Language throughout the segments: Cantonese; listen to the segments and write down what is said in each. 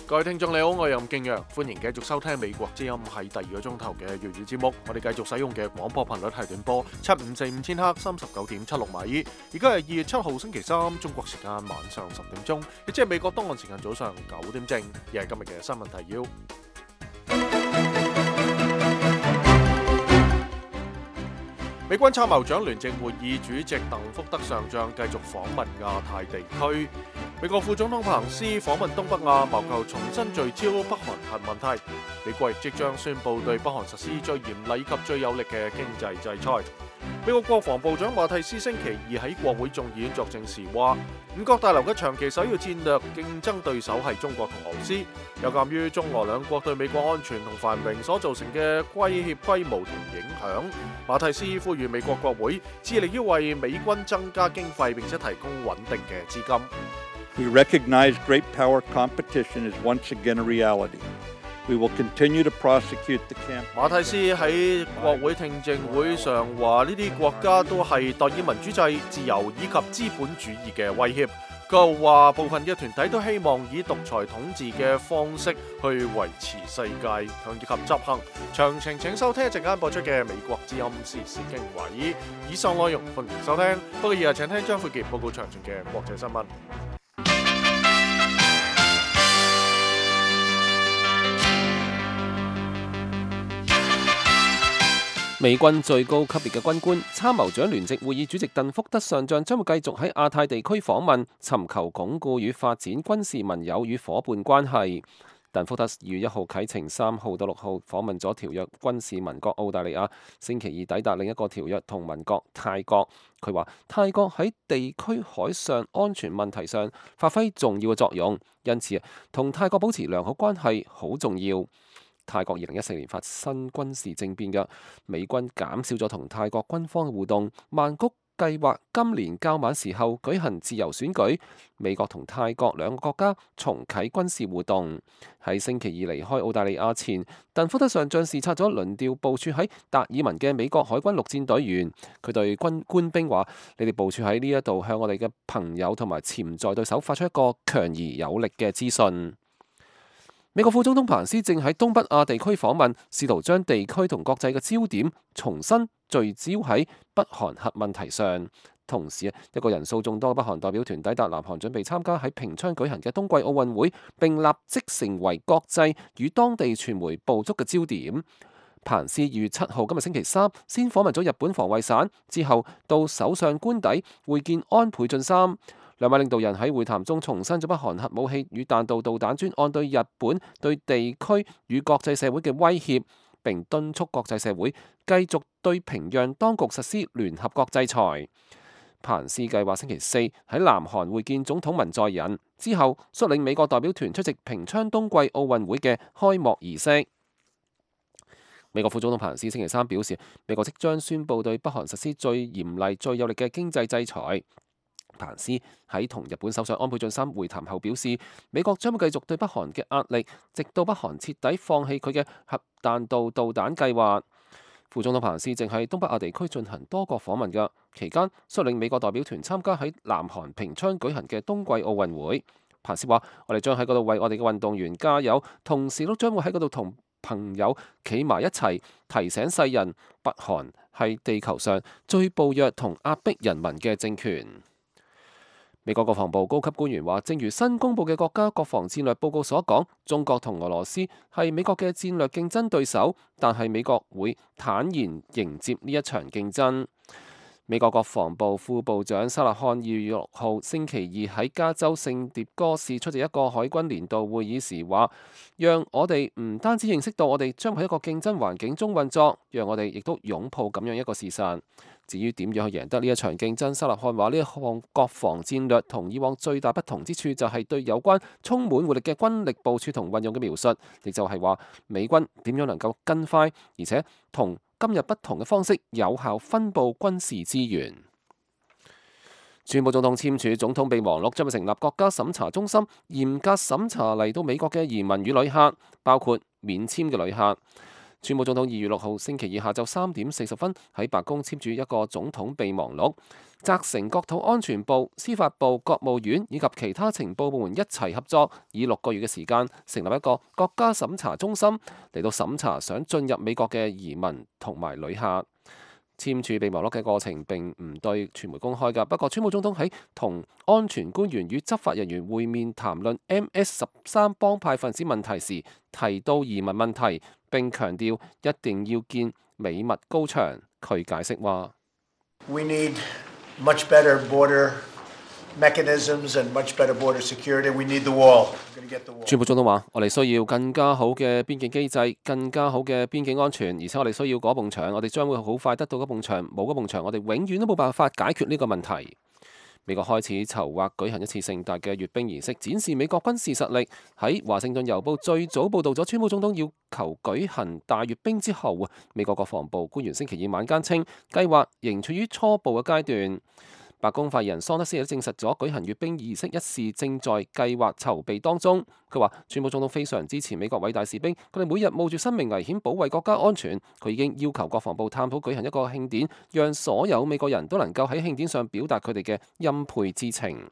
各位聽眾你好，我係任敬陽，歡迎繼續收聽美國之音喺第2個鐘頭嘅粵語節目。我哋繼續使用嘅廣播頻率係短波7545千赫39.76米。而家係2月7號星期三，中國時間晚上10點鐘，亦即係美國東岸時間早上9點正。亦係今日嘅新聞提要。美軍參謀長聯席會議主席鄧福德上將繼續訪問亞太地區。美國副總統彭斯訪問東北亞，謀求重新聚焦北韓核問題。美國亦即將宣布對北韓實施最嚴厲及最有力嘅經濟制裁。美國國防部長馬蒂斯星期二喺國會眾議院作證時話，五角大樓嘅長期首要戰略競爭對手係中國同俄羅斯。有鑑於中俄兩國對美國安全同繁榮所造成嘅威脅規模同影響，馬蒂斯呼籲美國國會致力於為美軍增加經費並且提供穩定嘅資金。We recognize great power competition is once again a reality. We will continue to prosecute the campaign. 馬蒂斯喺國會聽證會上話，呢啲國家都係代以民主制、自由以及資本主義嘅威脅。佢又話，部分嘅團體都希望以獨裁統治嘅方式去維持世界，強以及執行。詳情請收聽一陣間播出嘅美國之音時事經緯。以上內容歡迎收聽。不過以下請聽張富傑報告詳盡嘅國際新聞。美軍最高級別嘅軍官、參謀長聯席會議主席鄧福德上將將會繼續喺亞太地區訪問，尋求鞏固與發展軍事盟友與伙伴關係。鄧福德2月1號啟程3號到6號訪問咗條約軍事盟國澳大利亞，星期二抵達另一個條約同盟國泰國。佢話泰國喺地區海上安全問題上發揮重要嘅作用，因此同泰國保持良好關係好重要。泰國2014年發生軍事政變嘅，美軍減少咗同泰國軍方嘅互動。曼谷計劃今年較晚時候舉行自由選舉。美國同泰國兩個國家重啟軍事互動。喺星期二離開澳大利亞前，鄧福德上將視察咗輪調部署喺達爾文嘅美國海軍陸戰隊員。佢對官兵話：你哋部署喺呢一度，向我哋嘅朋友同埋潛在對手發出一個強而有力嘅資訊。美國副總統彭斯正喺東北亞地區訪問，試圖將地區同國際嘅焦點重新聚焦喺北韓核問題上。同時，一個人數眾多嘅北韓代表團抵達南韓，準備參加喺平昌舉行嘅冬季奧運會，並立即成為國際與當地傳媒捕捉嘅焦點。彭斯2月7號今日星期三先訪問咗日本防衛省，之後到首相官邸會見安倍晉三。兩位領導人喺會談中重申咗北韓核武器與彈道導彈專案對日本、對地區與國際社會嘅威脅，並敦促國際社會繼續對平壤當局實施聯合國制裁。彭斯計劃星期四喺南韓會見總統文在寅，之後率領美國代表團出席平昌冬季奧運會嘅開幕儀式。美國副總統彭斯星期三表示，美國即將宣布對北韓實施最嚴厲、最有力嘅經濟制裁。彭斯喺同日本首相安倍晉三會談後表示，美國將會繼續對北韓嘅壓力，直到北韓徹底放棄佢嘅核彈道導彈計劃。副總統彭斯正喺東北亞地區進行多國訪問嘅期間，率領美國代表團參加喺南韓平昌舉行嘅冬季奧運會。彭斯話：我哋將喺嗰度為我哋嘅運動員加油，同時都將會喺嗰度同朋友企埋一齊，提醒世人北韓係地球上最暴虐同壓迫人民嘅政權。美國國防部高級官員話，正如新公佈嘅國家國防戰略報告所講，中國同俄羅斯係美國嘅戰略競爭對手，但係美國會坦然迎接呢一場競爭。美國國防部副部長沙勒漢2月6號星期二喺加州聖迭戈市出席一個海軍年度會議時話，讓我哋唔單止認識到我哋將喺一個競爭環境中運作，讓我哋亦都擁抱咁樣一個事實。至於點樣去贏得呢一場競爭，沙勒漢話呢一項國防戰略同以往最大不同之處就係對有關充滿活力嘅軍力部署同運用嘅描述，亦就係話美軍點樣能夠跟快，而且同今日不同嘅方式有效分佈軍事資源。川普總統簽署總統備忘錄，將會成立國家審查中心，嚴格審查嚟到美國嘅移民與旅客，包括免簽嘅旅客。川普總統2月6號星期二下晝3點40分喺白宮簽署一個總統備忘錄，責成國土安全部、司法部、國務院以及其他情報部門一齊合作，以6個月嘅時間成立一個國家審查中心嚟到審查想進入美國嘅移民同埋旅客。簽署備忘錄嘅過程並唔對傳媒公開㗎，不過川普總統喺同安全官員與執法人員會面談論 MS-13幫派分子問題時，提到移民問題，並強調一定要建美墨高牆。佢解釋話：We need much better border mechanisms and much better border security. We need the wall. 川普總統話：我哋需要更加好嘅邊境機制，更加好嘅邊境安全，而且我哋需要嗰埲牆，我哋將會好快得到嗰埲牆，冇嗰埲牆，我哋永遠都冇辦法解決呢個問題。美國開始籌劃舉行一次盛大嘅閱兵儀式，展示美國軍事實力。喺華盛頓郵報最早報導咗川普總統要求舉行大閱兵之後，美國國防部官員星期二晚間稱，計劃仍處於初步嘅階段。白宮發言人桑德斯亦都證實咗舉行閱兵儀式一事正在計劃籌備當中。佢話：川普總統非常支持美國偉大士兵，佢哋每日冒住生命危險保衛國家安全。佢已經要求國防部探討舉行一個慶典，讓所有美國人都能夠喺慶典上表達佢哋嘅欽佩之情。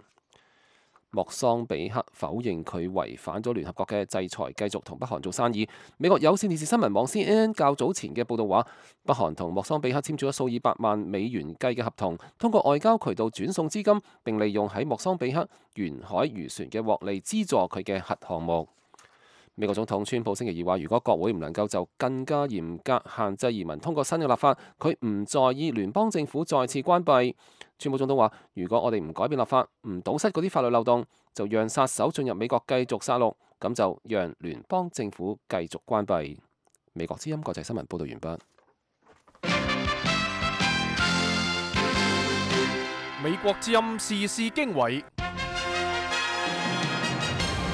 莫桑比克否認佢違反咗聯合國嘅制裁，繼續同北韓做生意。美國有線電視新聞網 CNN 較早前嘅報導話，北韓同莫桑比克簽署咗數以百萬美元計嘅合同，通過外交渠道轉送資金，並利用喺莫桑比克沿海漁船嘅獲利資助佢嘅核項目。美國總統川普星期二話，如果國會唔能夠就更加嚴格限制移民通過新嘅立法，佢唔在意聯邦政府再次關閉。川普總統話：如果我哋唔改變立法，唔堵塞嗰啲法律漏洞，就讓殺手進入美國繼續殺戮，咁就讓聯邦政府繼續關閉。美國之音國際新聞報道完畢。美國之音時事經緯。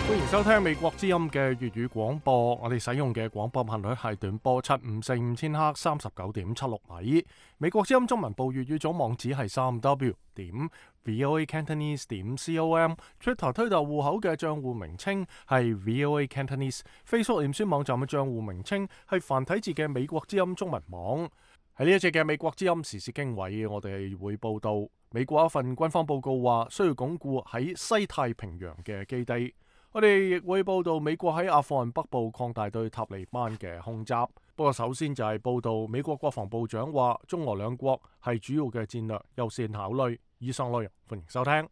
歡迎收聽美國之音嘅粵語廣播，我哋使用嘅廣播頻率係短波7545千赫39.76米。美國之音中文部粵語總網址係3w.voacantonese.com。Twitter 推特戶口嘅賬戶名稱係 voacantonese。Facebook 臉書網站嘅賬戶名稱係繁體字嘅美國之音中文網。喺呢一節嘅美國之音時事經緯，我哋會報道美國一份軍方報告話需要鞏固喺西太平洋嘅基地。我哋亦會報道美國喺阿富汗北部擴大對塔利班嘅空襲。不過首先就係報道美國國防部長話中俄兩國係主要嘅戰略優先考慮。以上內容歡迎收聽。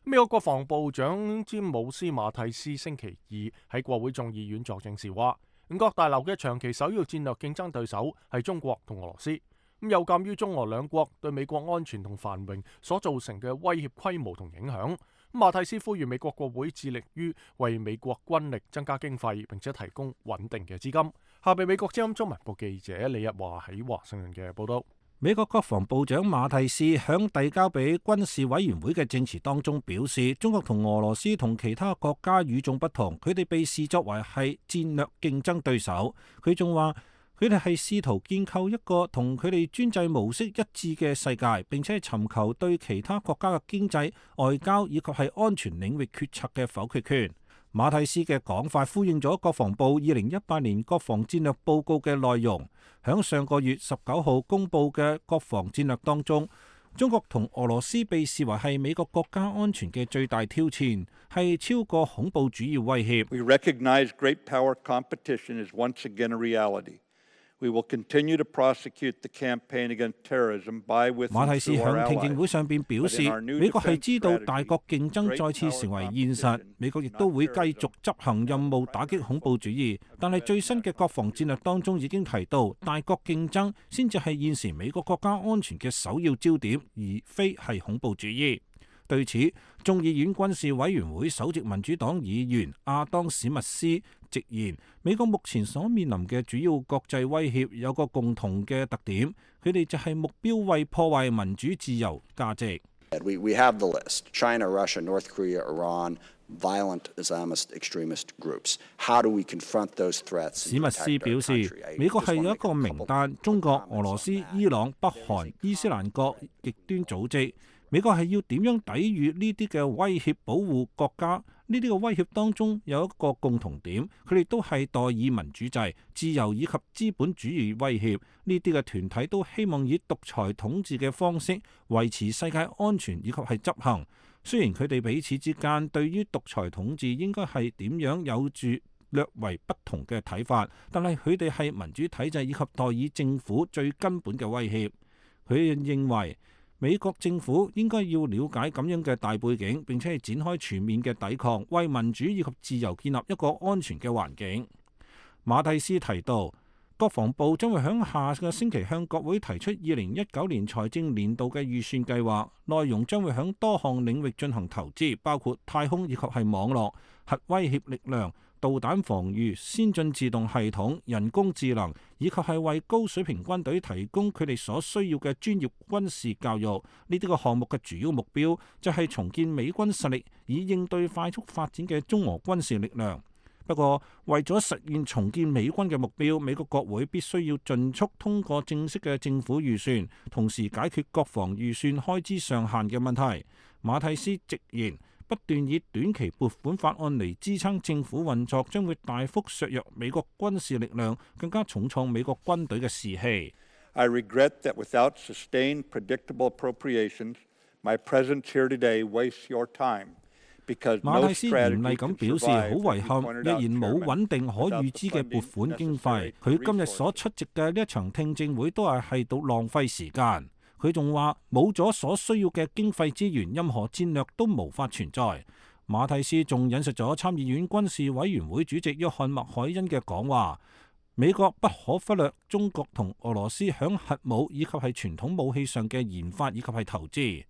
美國國防部長詹姆斯馬蒂斯星期二喺國會眾議院作證時話，五角大樓嘅長期首要戰略競爭對手係中國同俄羅斯。有鑑於中俄兩國對美國安全同繁榮所造成嘅威脅規模同影響，馬蒂斯呼籲美國國會致力於為美國軍力增加經費，並且提供穩定嘅資金。下邊美國之音中文部記者李日華喺華盛頓嘅報道。美國國防部長馬蒂斯響遞交俾軍事委員會嘅證詞當中表示，中國同俄羅斯同其他國家與眾不同，佢哋被視作為係戰略競爭對手。佢仲話，佢哋係試圖建構一個同佢哋專制模式一致嘅世界，並且尋求對其他國家嘅經濟、外交以及係安全領域決策嘅否決權。馬蒂斯嘅講法呼應咗國防部2018年國防戰略報告嘅內容。響上個月19號公布嘅國防戰略當中，中國同俄羅斯被視為係美國國家安全嘅最大挑戰，係超過恐怖主義威脅。We recognize great power competition is once again a reality. We will continue to prosecute the campaign against terrorism by with 馬蒂斯響聽證會上邊表示，美國係知道大國競爭再次成為現實，美國亦都會繼續執行任務打擊恐怖主義。但係最新嘅國防戰略當中已經提到，大國競爭先至係現時美國國家安全嘅首要焦點，而非係恐怖主義。對此，眾議院軍事委員會首席民主黨議員亞當史密斯直言，美國目前所面臨嘅主要國際威脅有個共同嘅特點，佢哋就係目標為破壞民主自由價值。We have the list: China, Russia, North Korea, Iran, violent Islamist extremist groups. How do we confront those threats? 史密斯表示，美國係有一個名單，中國、俄羅斯、伊朗、北韓、伊斯蘭國極端組織。美國係要點樣抵禦呢啲嘅威脅，保護國家？呢啲嘅威脅當中有一個共同點，佢哋都係代議民主制、自由以及資本主義威脅。呢啲嘅團體都希望以獨裁統治嘅方式維持世界安全以及係執行。雖然佢哋彼此之間對於獨裁統治應該係點樣有住略為不同嘅睇法，但係佢哋係民主體制以及代議政府最根本嘅威脅。佢哋認為美國政府應該要了解咁樣嘅大背景，並且係展開全面嘅抵抗，為民主以及自由建立一個安全嘅環境。馬蒂斯提到，國防部將會喺下個星期向國會提出2019年財政年度嘅預算計劃，內容將會喺多項領域進行投資，包括太空以及係網絡、核威脅力量、導彈防禦、先進自動系統、人工智能，以及係為高水平軍隊提供佢哋所需要嘅專業軍事教育。呢啲個項目嘅主要目標就係重建美軍實力，以應對快速發展嘅中俄軍事力量。不過，為咗實現重建美軍嘅目標，美國國會必須要盡速通過正式嘅政府預算，同時解決國防預算開支上限嘅問題。馬蒂斯直言，不斷以短期撥款法案嚟支撐政府運作，將會大幅削弱美國軍事力量，更加重創美國軍隊嘅士氣。I regret that without sustained, predictable appropriations, my presence here today wastes your time. 馬蒂斯嚴厲咁表示，好遺憾，若然冇穩定可預知嘅撥款經費，佢今日所出席嘅呢一場聽證會都係到浪費時間。佢仲話，冇咗所需要嘅經費資源，任何戰略都無法存在。馬蒂斯仲引述咗參議院軍事委員會主席約翰麥凱恩嘅講話，美國不可忽略中國同俄羅斯響核武以及係傳統武器上嘅研發以及係投資。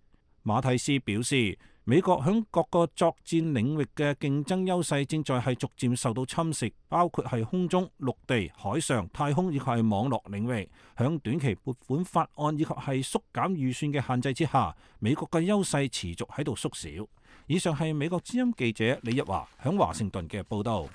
馬蒂斯表示，美國響各個作戰領域嘅競爭優勢正在係逐漸受到侵蝕，包括係空中、陸地、海上、太空以及係網絡領域。響短期撥款法案以及係縮減預算嘅限制之下，美國嘅優勢持續喺度縮小。以上係美國之音記者李日華響華盛頓嘅報道。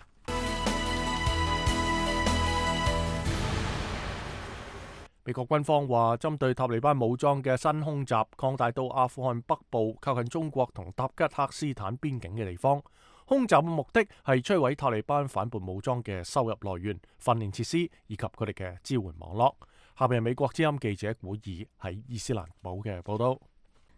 美國軍方話，針對塔利班武裝嘅新空襲擴大到阿富汗北部靠近中國同塔吉克斯坦邊境嘅地方。空襲嘅目的係摧毀塔利班反叛武裝嘅收入來源、訓練設施以及佢哋嘅支援網絡。下邊係美國之音記者古爾喺伊斯蘭堡嘅報道。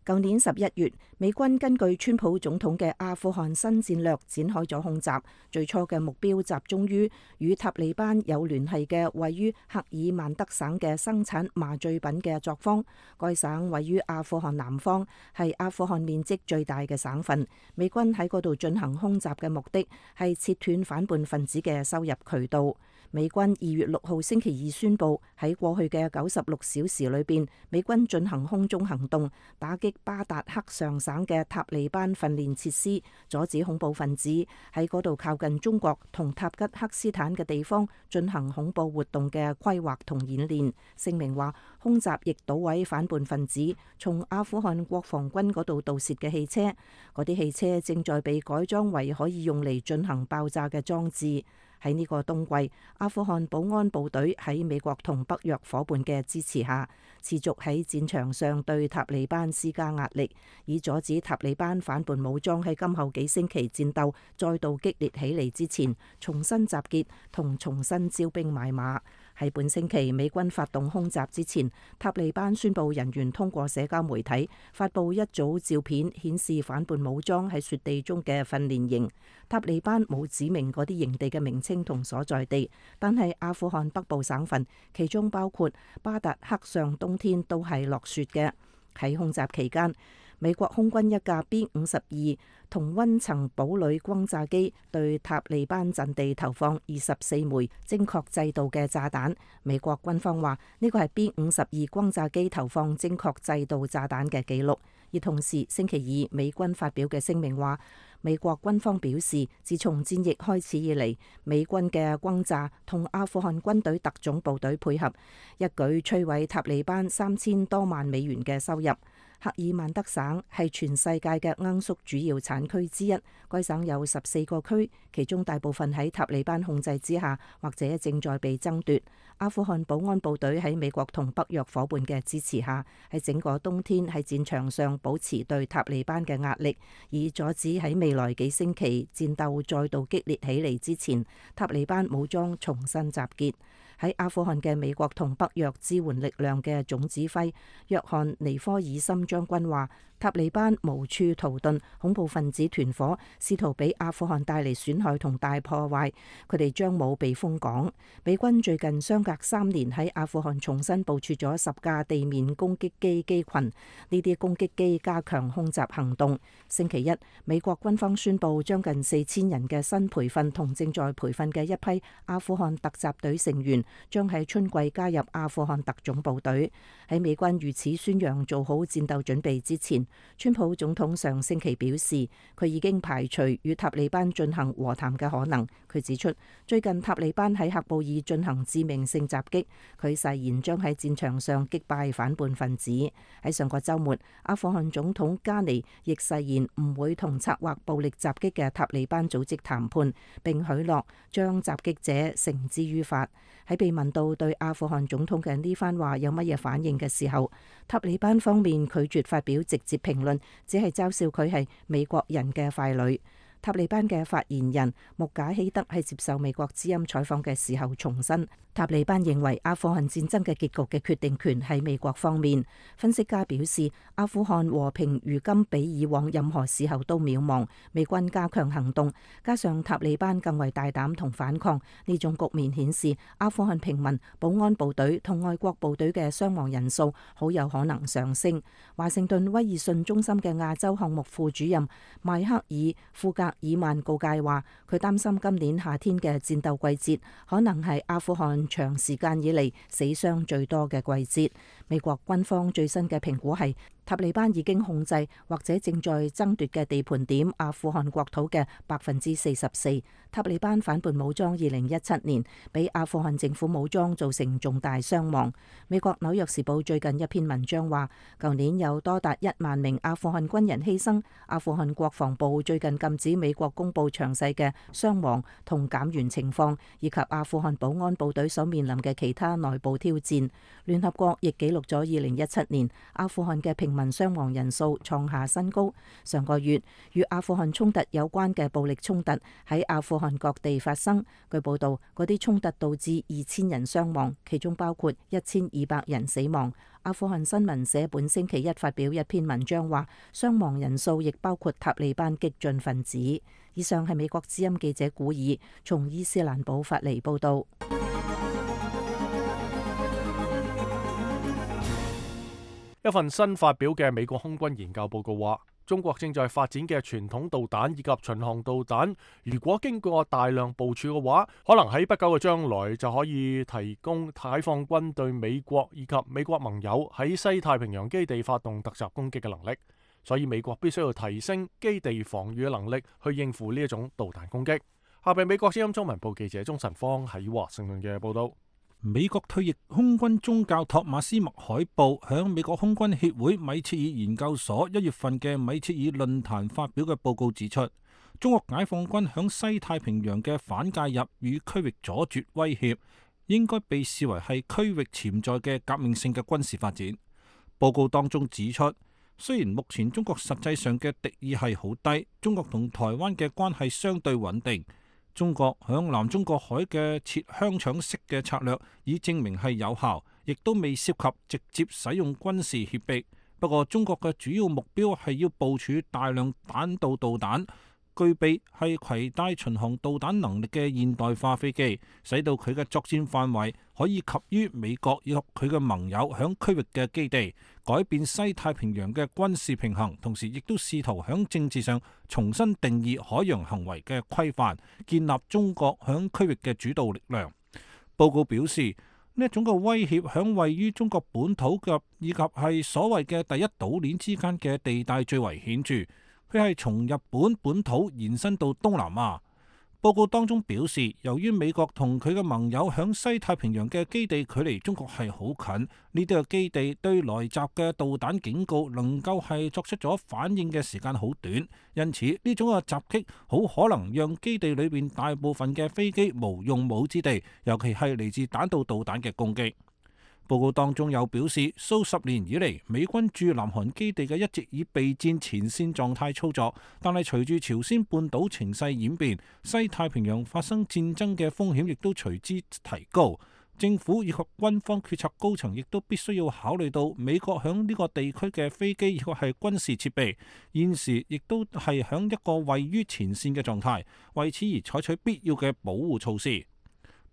舊年11月，美軍根據川普總統嘅阿富汗新戰略展開咗空襲，最初嘅目標集中於與塔利班有聯繫嘅位於赫爾曼德省嘅生產麻醉品嘅作坊。該省位於阿富汗南方，係阿富汗面積最大嘅省份。美軍喺嗰度進行空襲嘅目的係切斷反叛分子嘅收入渠道。美軍2月6號星期二宣布，喺過去嘅96小時裏邊，美軍進行空中行動，打擊巴達克上省嘅塔利班訓練設施，阻止恐怖分子喺嗰度靠近中國同塔吉克斯坦嘅地方進行恐怖活動嘅規劃同演練。聲明話，空襲亦搗毀反叛分子從阿富汗國防軍嗰度盜竊嘅汽車，嗰啲汽車正在被改裝為可以用嚟進行爆炸嘅裝置。喺呢個冬季，阿富汗保安部隊喺美國同北約夥伴嘅支持下，持續喺戰場上對塔利班施加壓力，以阻止塔利班反叛武裝喺今後幾星期戰鬥再度激烈起嚟之前，重新集結同重新招兵買馬。喺本星期美軍發動空襲之前，塔利班宣布人員通過社交媒體發布一組照片，顯示反叛武裝喺雪地中嘅訓練營。塔利班冇指明嗰啲營地嘅名稱同所在地，但係阿富汗北部省份，其中包括巴達克上，冬天都係落雪嘅。喺空襲期間，美國空軍一架 B-52同溫層堡壘轟炸機對塔利班陣地投放24枚精確制導嘅炸彈。美國軍方話呢個係 B-52轟炸機投放精確制導炸彈嘅記錄。而同時，星期二美軍發表嘅聲明話，美國軍方表示，自從戰役開始以嚟，美軍嘅轟炸同阿富汗軍隊特種部隊配合，一舉摧毀塔利班3000多萬美元嘅收入。赫爾曼德省係全世界嘅罌粟主要產區之一，該省有14個區，其中大部分喺塔利班控制之下，或者正在被爭奪。阿富汗保安部隊喺美國同北約伙伴嘅支持下，喺整個冬天喺戰場上保持對塔利班嘅壓力，以阻止喺未來幾星期戰鬥再度激烈起嚟之前，塔利班武裝重新集結。喺阿富汗嘅美國同北約支援力量嘅總指揮約翰尼科爾森將軍話，塔利班無處逃遁，恐怖分子團伙試圖俾阿富汗帶嚟損害同大破壞，佢哋將冇避風港。美軍最近相隔3年喺阿富汗重新部署咗10架地面攻擊機機群，呢啲攻擊機加強空襲行動。星期一，美國軍方宣布將近4000人嘅新培訓同正在培訓嘅一批阿富汗突襲隊成員將喺春季加入阿富汗特種部隊。喺美軍如此宣揚做好戰鬥準備之前，川普總統上星期表示，佢已經排除與塔利班進行和談嘅可能。佢指出，最近塔利班喺喀布爾進行致命性襲擊，佢誓言將喺戰場上擊敗反叛分子。喺上個週末，阿富汗總統加尼亦誓言唔會同策劃暴力襲擊嘅塔利班組織談判，並許諾將襲擊者繩之於法。喺被問到對阿富汗總統嘅呢番話有乜嘢反應嘅時候，塔利班方面拒絕發表直接評論，只係嘲笑佢係美國人嘅傀儡。塔利班嘅發言人穆賈希德喺接受美國之音採訪嘅時候重申，塔利班認為阿富汗戰爭嘅結局嘅決定權喺美國方面。分析家表示，阿富汗和平如今比以往任何時候都渺茫，美軍加強行動，加上塔利班更為大膽同反抗，呢種局面顯示阿富汗平民、保安部隊同外國部隊嘅傷亡人數好有可能上升。華盛頓威爾遜中心嘅亞洲項目副主任邁克爾·庫格爾曼告誡話，佢擔心今年夏天嘅戰鬥季節可能係阿富汗長時間以嚟死傷最多嘅季節。美國軍方最新嘅評估係，塔利班已經控制或者正在爭奪嘅地盤點阿富汗國土嘅44%。塔利班反叛武裝2017年俾阿富汗政府武裝造成重大傷亡。美國紐約時報最近一篇文章話，舊年有多達1萬名阿富汗軍人犧牲。阿富汗國防部最近禁止美國公布詳細嘅傷亡同減員情況，以及阿富汗保安部隊所面臨嘅其他內部挑戰。聯合國亦記錄咗2017年阿富汗嘅平民傷亡人數創下新高。上個月與阿富汗衝突有關嘅暴力衝突喺阿富汗各地發生。據報道，嗰啲衝突導致2000人傷亡，其中包括1200人死亡。阿富汗新聞社本星期一發表一篇文章話，傷亡人數亦包括塔利班激進分子。以上係美國之音記者古爾從伊斯蘭堡發嚟報道。一份新發表嘅美國空軍研究報告話，中國正在發展嘅傳統導彈以及巡航導彈，如果經過大量部署嘅話，可能喺不久嘅將來就可以提供解放軍對美國以及美國盟友喺西太平洋基地發動突襲攻擊嘅能力。所以美國必須要提升基地防禦嘅能力，去應付呢一種導彈攻擊。下邊美國之音中文部記者鍾晨芳喺華盛頓嘅報道。美國退役空軍中教托馬斯麥海布響美國空軍協會米切爾研究所1月份嘅米切爾論壇發表嘅報告指出，中國解放軍響西太平洋嘅反介入與區域阻絕威脅，應該被視為係區域潛在嘅革命性嘅軍事發展。報告當中指出，雖然目前中國實際上嘅敵意係好低，中國同台灣嘅關係相對穩定。中國響南中國海嘅設香腸式嘅策略已證明係有效，亦都未涉及直接使用軍事脅迫。不過中國嘅主要目標係要部署大量彈道導彈，具備係攜帶巡航導彈能力嘅現代化飛機，使到佢嘅作戰範圍可以及於美國以及佢嘅盟友響區域嘅基地，改變西太平洋嘅軍事平衡，同時亦都試圖響政治上重新定義海洋行為嘅規範，建立中國響區域嘅主導力量。報告表示，呢一種嘅威脅響位於中國本土以及係所謂嘅第一島鏈之間嘅地帶最為顯著。佢係從日本本土延伸到東南亞。報告當中表示，由於美國同佢嘅盟友響西太平洋嘅基地距離中國係好近，呢啲嘅基地對來襲嘅導彈警告能夠係作出咗反應嘅時間好短，因此呢種嘅襲擊好可能讓基地裏邊大部分嘅飛機無用武之地，尤其係嚟自彈道導彈嘅攻擊。報告當中有表示，數十年以嚟，美軍駐南韓基地嘅一直以備戰前線狀態操作，但係隨住朝鮮半島情勢演變，西太平洋發生戰爭嘅風險亦都隨之提高。政府以及軍方決策高層亦都必須要考慮到美國響呢個地區嘅飛機以及係軍事設備，現時亦都係響一個位於前線嘅狀態，為此而採取必要嘅保護措施。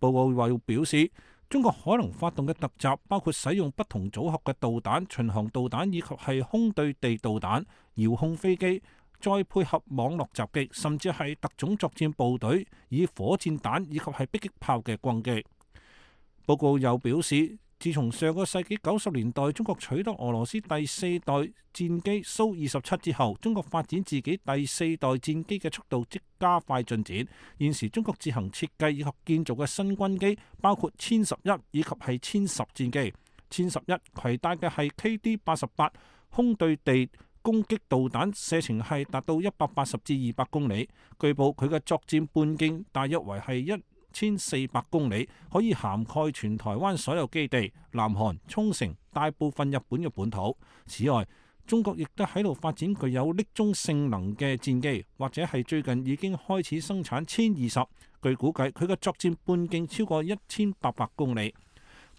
報告話要表示，中國可能發動嘅突襲包括使用不同組合嘅導彈、巡航導彈以及係空對地導彈、遙控飛機，再配合網絡襲擊，甚至係特種作戰部隊以火箭彈以及係迫擊炮嘅攻擊。報告又表示，自從上個世紀90年代中國取得俄羅斯第四代戰機蘇27之後，中國發展自己第四代戰機嘅速度即加快進展。現時中國自行設計以及建造嘅新軍機包括殲11以及係殲10戰機。殲11攜帶嘅係 KD-88 空對地攻擊導彈，射程係達到180至200公里。據報佢嘅作戰半徑大約為係1400公里，可以涵蓋全台灣所有基地、南韓、沖繩、大部分日本嘅本土。此外，中國亦都喺度發展具有匿蹤性能嘅戰機，或者係最近已經開始生產殲20。據估計，佢嘅作戰半徑超過1800公里。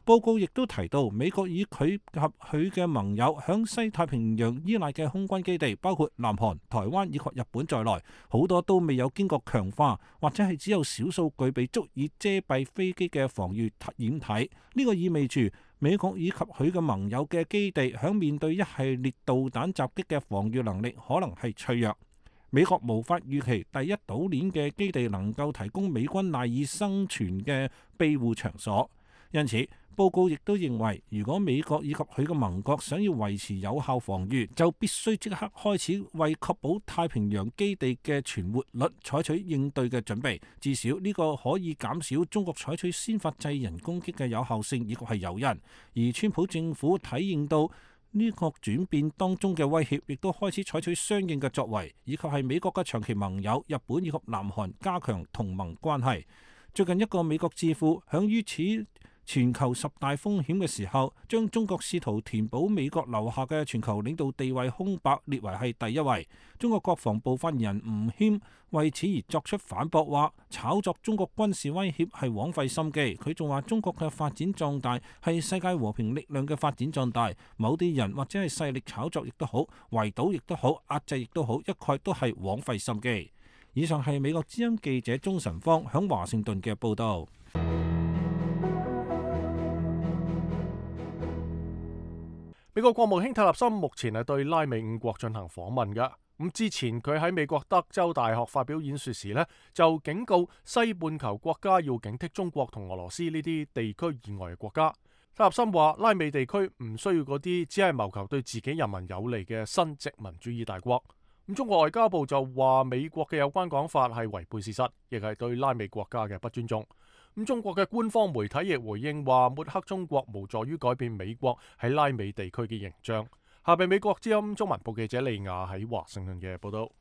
報告亦都提到，美國以佢及佢嘅盟友響西太平洋依賴嘅空軍基地，包括南韓、台灣以及日本在內，好多都未有經過強化，或者係只有少數具備足以遮蔽飛機嘅防禦掩體。呢個意味住美國以及佢嘅盟友嘅基地響面對一系列導彈襲擊嘅防禦能力可能係脆弱。美國無法預期第一島鏈嘅基地能夠提供美軍賴以生存嘅庇護場所，因此報告亦都認為，如果美國以及佢嘅盟國想要維持有效防禦，就必須即刻開始為確保太平洋基地嘅存活率採取應對嘅準備。至少呢個可以減少中國採取先發制人攻擊嘅有效性以及係誘因。而川普政府體認到呢個轉變當中嘅威脅，亦都開始採取相應嘅作為，以及係美國嘅長期盟友日本以及南韓加強同盟關係。最近一個美國智庫響於此全球10大風險嘅時候，將中國試圖填補美國留下嘅全球領導地位空白列為係第一位。中國國防部發言人吳謙為此而作出反駁，話炒作中國軍事威脅係枉費心機。佢仲話中國嘅發展壯大係世界和平力量嘅發展壯大，某啲人或者係勢力炒作亦都好，圍堵亦都好，壓制亦都好，一概都係枉費心機。以上係美國之音記者鍾晨芳響華盛頓嘅報導。美國國務卿泰勒森目前係對拉美5國進行訪問嘅。咁之前佢喺美國德州大學發表演說時呢，就警告西半球國家要警惕中國同俄羅斯呢啲地區以外嘅國家。泰勒森話，拉美地區唔需要嗰啲只係謀求對自己人民有利嘅新殖民主義大國。咁中國外交部就話美國嘅有關講法係違背事實，亦係對拉美國家嘅不尊重。咁中國嘅官方媒體亦回應話，抹黑中國無助於改變美國喺拉美地區嘅形象。下邊美國之音中文部記者利亞喺華盛頓嘅報道。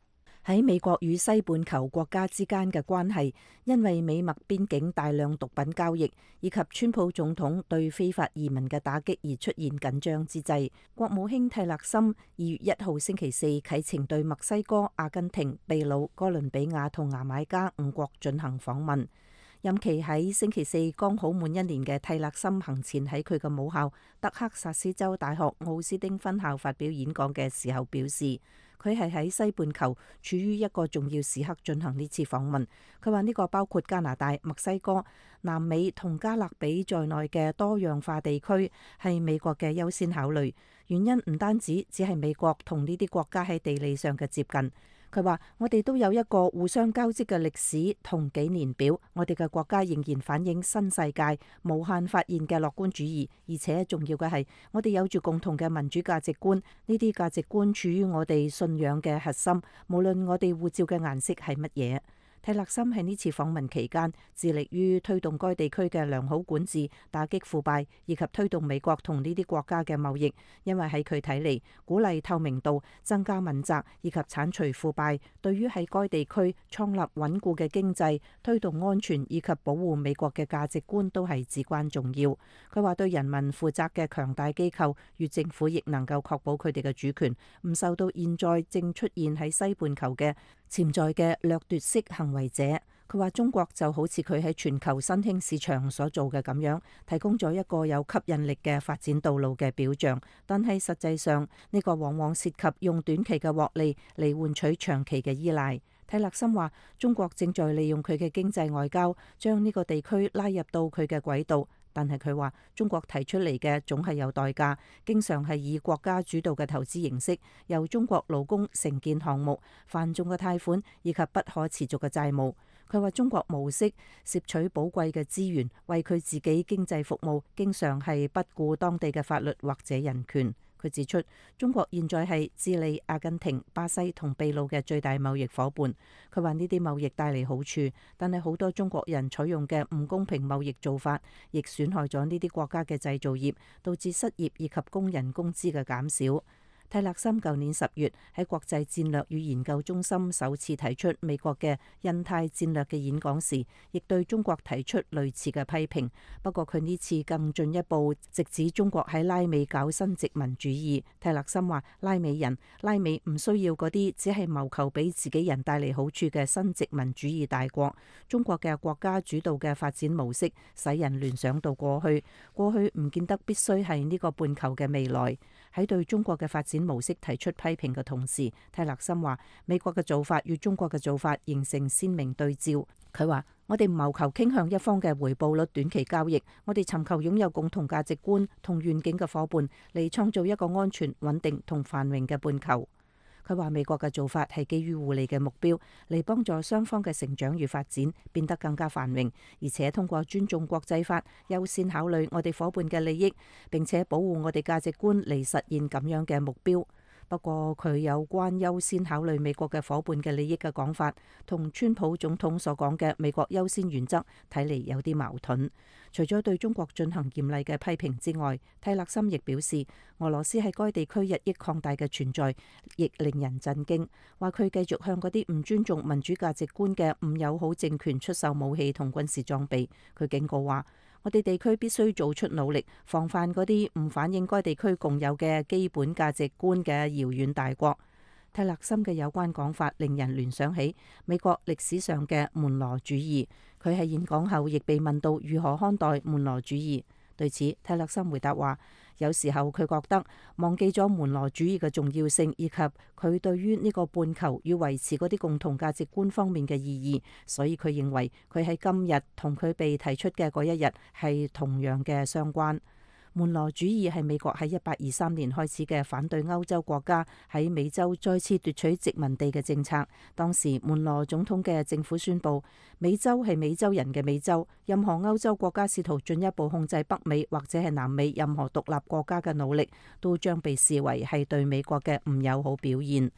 喺美國與西半球國家之間嘅關係，因為美墨邊境大量毒品交易以及川普總統對非法移民嘅打擊而出現緊張之際，國務卿蒂勒森2月1號星期四啟程對墨西哥、阿根廷、秘魯、哥倫比亞同牙買加5國進行訪問。任期喺星期四剛好滿1年嘅蒂勒森行前喺佢嘅母校德克薩斯州大學奧斯丁分校發表演講嘅時候表示，佢係喺西半球處於一個重要時刻進行呢次訪問。佢話呢個包括加拿大、墨西哥、南美同加勒比在內嘅多樣化地區係美國嘅優先考慮。原因唔單止只係美國同呢啲國家喺地理上嘅接近。佢話：我哋都有一個互相交織嘅歷史同紀年表，我哋嘅國家仍然反映新世界無限發現嘅樂觀主義，而且重要嘅係，我哋有住共同嘅民主價值觀，呢啲價值觀處於我哋信仰嘅核心，無論我哋護照嘅顏色係乜嘢。蒂勒森喺呢次訪問期間，致力於推動該地區嘅良好管治、打擊腐敗，以及推動美國同呢啲國家嘅貿易。因為喺佢睇嚟，鼓勵透明度、增加問責以及剷除腐敗，對於喺該地區創立穩固嘅經濟、推動安全以及保護美國嘅價值觀都係至關重要。佢話對人民負責嘅強大機構與政府亦能夠確保佢哋嘅主權唔受到現在正出現喺西半球嘅潛在嘅掠奪式行為者。佢話中國就好似佢喺全球新興市場所做嘅咁樣，提供咗一個有吸引力嘅發展道路嘅表象，但係實際上呢個往往涉及用短期嘅獲利嚟換取長期嘅依賴。蒂勒森話中國正在利用佢嘅經濟外交將呢個地區拉入到佢嘅軌道，但係佢話中國提出嚟嘅總係有代價，經常係以國家主導嘅投資形式，由中國勞工承建項目、繁重嘅貸款以及不可持續嘅債務。佢話中國模式攝取寶貴嘅資源，為佢自己經濟服務，經常係不顧當地嘅法律或者人權。佢指出，中國現在係智利、阿根廷、巴西同秘魯嘅最大貿易夥伴。佢話呢啲貿易帶嚟好處，但係好多中國人採用嘅唔公平貿易做法，亦損害咗呢啲國家嘅製造業，導致失業以及工人工資嘅減少。蒂勒森舊年10月喺國際戰略與研究中心首次提出美國嘅印太戰略嘅演講時，亦對中國提出類似嘅批評。不過佢呢次更進一步，直指中國喺拉美搞新殖民主義。蒂勒森話：拉美唔需要嗰啲只係謀求俾自己人帶嚟好處嘅新殖民主義大國。中國嘅國家主導嘅發展模式，使人聯想到過去唔見得必須係呢個半球嘅未來。喺對中國嘅發展模式提出批評嘅同時，蒂勒森話美國嘅做法與中國嘅做法形成鮮明對照。佢話：我哋唔謀求傾向一方嘅回報率短期交易，我哋尋求擁有共同價值觀同願景嘅伙伴，嚟創造一個安全、穩定同繁榮嘅半球。佢話美國嘅做法係基於互利嘅目標，嚟幫助雙方嘅成長與發展變得更加繁榮，而且通過尊重國際法，優先考慮我哋伙伴嘅利益，並且保護我哋價值觀嚟實現咁樣嘅目標。不過佢有關優先考慮美國嘅伙伴嘅利益嘅講法，同川普總統所講嘅美國優先原則睇嚟有啲矛盾。除咗對中國進行嚴厲嘅批評之外，蒂勒森亦表示，俄羅斯喺該地區日益擴大嘅存在亦令人震驚，話佢繼續向嗰啲唔尊重民主價值觀嘅唔友好政權出售武器同軍事裝備。佢警告話：我哋地區必須做出努力，防範嗰啲唔反映該地區共有嘅基本價值觀嘅遙遠大國。蒂勒森嘅有關講法令人聯想起美國歷史上嘅門羅主義。佢喺演講後亦被問到如何看待門羅主義。對此，蒂勒森回答話：有時候佢覺得忘記咗門羅主義嘅重要性，以及佢對於呢個半球要維持嗰啲共同價值觀方面嘅意義，所以佢認為佢喺今日同佢被提出嘅嗰一日係同樣嘅相關。門羅主義係美國喺1823年開始嘅反對歐洲國家喺美洲再次奪取殖民地嘅政策。當時門羅總統嘅政府宣布，美洲係美洲人嘅美洲，任何歐洲國家試圖進一步控制北美或者係南美任何獨立國家嘅努力，都將被視為係對美國嘅唔友好表現。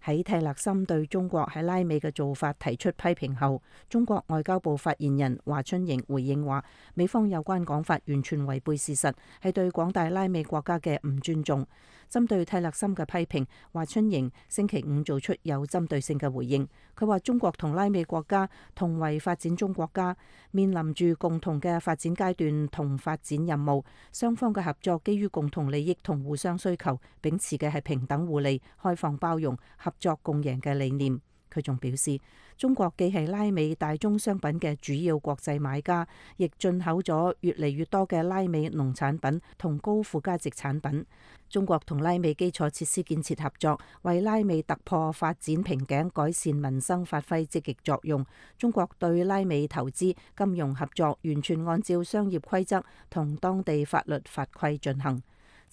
喺蒂勒森對中國喺拉美嘅做法提出批評後，中國外交部發言人華春瑩回應話：美方有關講法完全違背事實，係對廣大拉美國家嘅唔尊重。針對蒂勒森嘅批評，華春瑩星期五做出有針對性嘅回應。佢話中國同拉美國家同為發展中國家，面臨住共同嘅發展階段同發展任務，雙方嘅合作基於共同利益同互相需求，秉持嘅係平等互利、開放包容、合作共贏嘅理念。佢仲表示，中國既係拉美大宗商品嘅主要國際買家，亦進口咗越嚟越多嘅拉美農產品同高附加值產品。中國同拉美基礎設施建設合作，為拉美突破發展瓶頸、改善民生發揮積極作用。中國對拉美投資、金融合作完全按照商業規則同當地法律法規進行。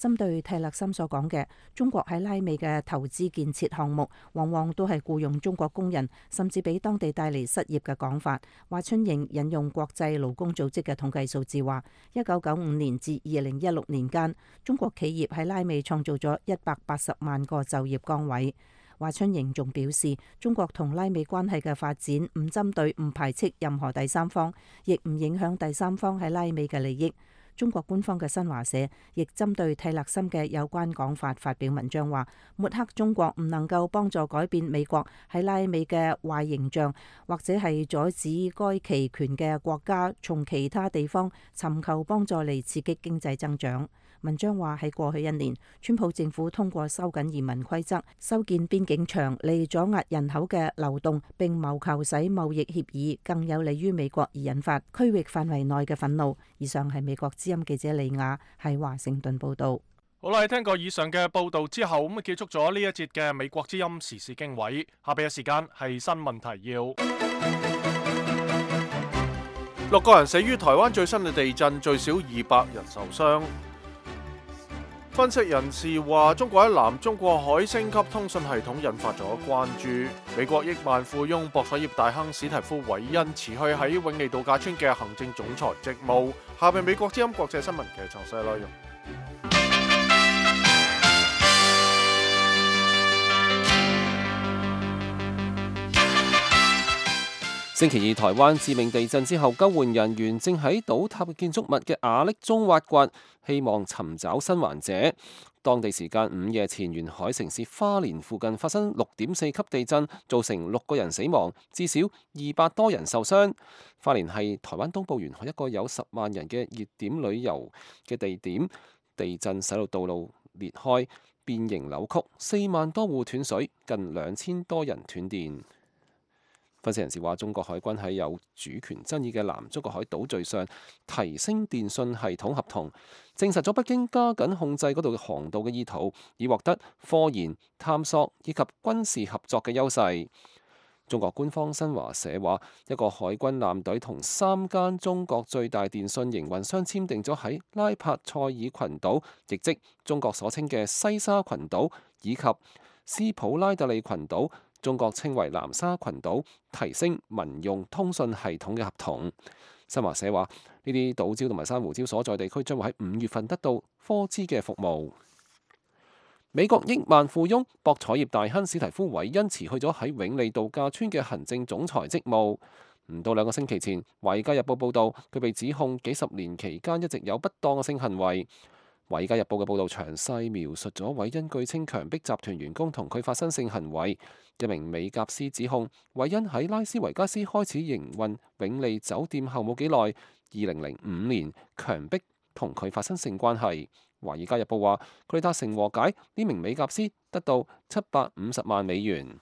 針對蒂勒森所講嘅中國喺拉美嘅投資建設項目，往往都係僱用中國工人，甚至俾當地帶嚟失業嘅講法。華春瑩引用國際勞工組織嘅統計數字話，1995年至2016年間，中國企業喺拉美創造咗180萬個就業崗位。華春瑩仲表示，中國同拉美關係嘅發展唔針對、唔排斥任何第三方，亦唔影響第三方喺拉美嘅利益。中國官方嘅新華社亦針對蒂勒森嘅有關講法發表文章，話抹黑中國唔能夠幫助改變美國喺拉美嘅壞形象，或者係阻止該期權嘅國家從其他地方尋求幫助嚟刺激經濟增長。文章話喺過去1年，川普政府通過收緊移民規則、修建邊境牆嚟阻壓人口嘅流動，並謀求使貿易協議更有利於美國，而引發區域範圍內嘅憤怒。以上係美國之音記者李雅喺華盛頓報道。好啦，聽過以上嘅報道之後，咁結束咗呢一節嘅美國之音時事經緯。下邊嘅時間係新聞提要。6個人死於台灣最新嘅地震，最少200人受傷。分析人士話，中國喺南中國海升級通訊系統引發咗關注。美國億萬富翁博彩業大亨史提夫韋恩辭去喺永利度假村嘅行政總裁職務。下邊美國之音國際新聞嘅詳細內容。星期二台灣致命地震之後，救援人員正喺倒塌嘅建築物嘅瓦礫中挖掘，希望尋找生還者。當地時間午夜前，沿海城市花蓮附近發生6.4級地震，造成6個人死亡，至少200多人受傷。花蓮係台灣東部沿海一個有10萬人嘅熱點旅遊嘅地點，地震使到道路裂開、變形扭曲，4萬多戶斷水，近2000多人斷電。分析人士話，中國海軍喺有主權爭議嘅南中國海島嶼上提升電信系統合同，證實咗北京加緊控制嗰度嘅航道嘅意圖，以獲得科研、探索以及軍事合作嘅優勢。中國官方新華社話，一個海軍艦隊同3間中國最大電信營運商簽訂咗喺拉帕塞爾群島，亦即中國所稱嘅西沙群島以及斯普拉特利群島，中國稱為南沙群島，提升民用通訊系統嘅合同。新華社話，呢啲島礁同埋珊瑚礁所在地區將會喺5月份得到科資嘅服務。美國億萬富翁博彩業大亨史提夫韋恩辭去咗喺永利度假村嘅行政總裁職務。唔到2個星期前，《華爾街日報》報道佢被指控幾十年期間一直有不當嘅性行為。《華爾街日報》嘅報導詳細描述咗韋恩據稱強迫集團員工同佢發生性行為。一名美甲師指控韋恩喺拉斯維加斯開始營運永利酒店後冇幾耐，2005年強迫同佢發生性關係。《華爾街日報》話佢哋達成和解，呢名美甲師得到750萬美元。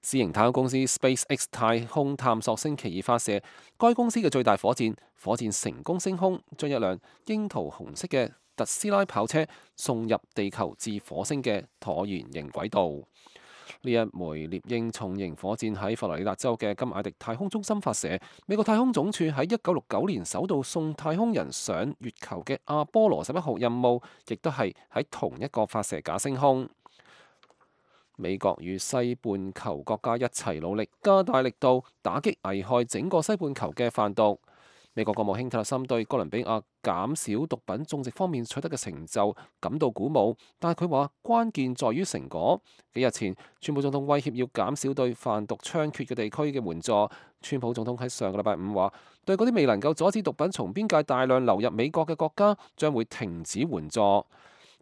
私營太空公司 SpaceX 太空探索星期二發射該公司嘅最大火箭，火箭成功升空，將一輛櫻桃紅色嘅特斯拉跑車送入地球至火星嘅橢圓形軌道。呢一枚獵鷹重型火箭喺佛羅里達州嘅金艾迪太空中心發射。美國太空總署喺1969年首度送太空人上月球嘅阿波羅11號任務，亦都係喺同一個發射架升空。美國與西半球國家一齊努力，加大力度打擊危害整個西半球嘅販毒。美國國務卿蒂勒森對哥倫比亞減少毒品種植方面取得嘅成就感到鼓舞，但係佢話關鍵在於成果。幾日前，川普總統威脅要減少對販毒猖獗嘅地區嘅援助。川普總統喺上個禮拜5話，對嗰啲未能夠阻止毒品從邊界大量流入美國嘅國家，將會停止援助。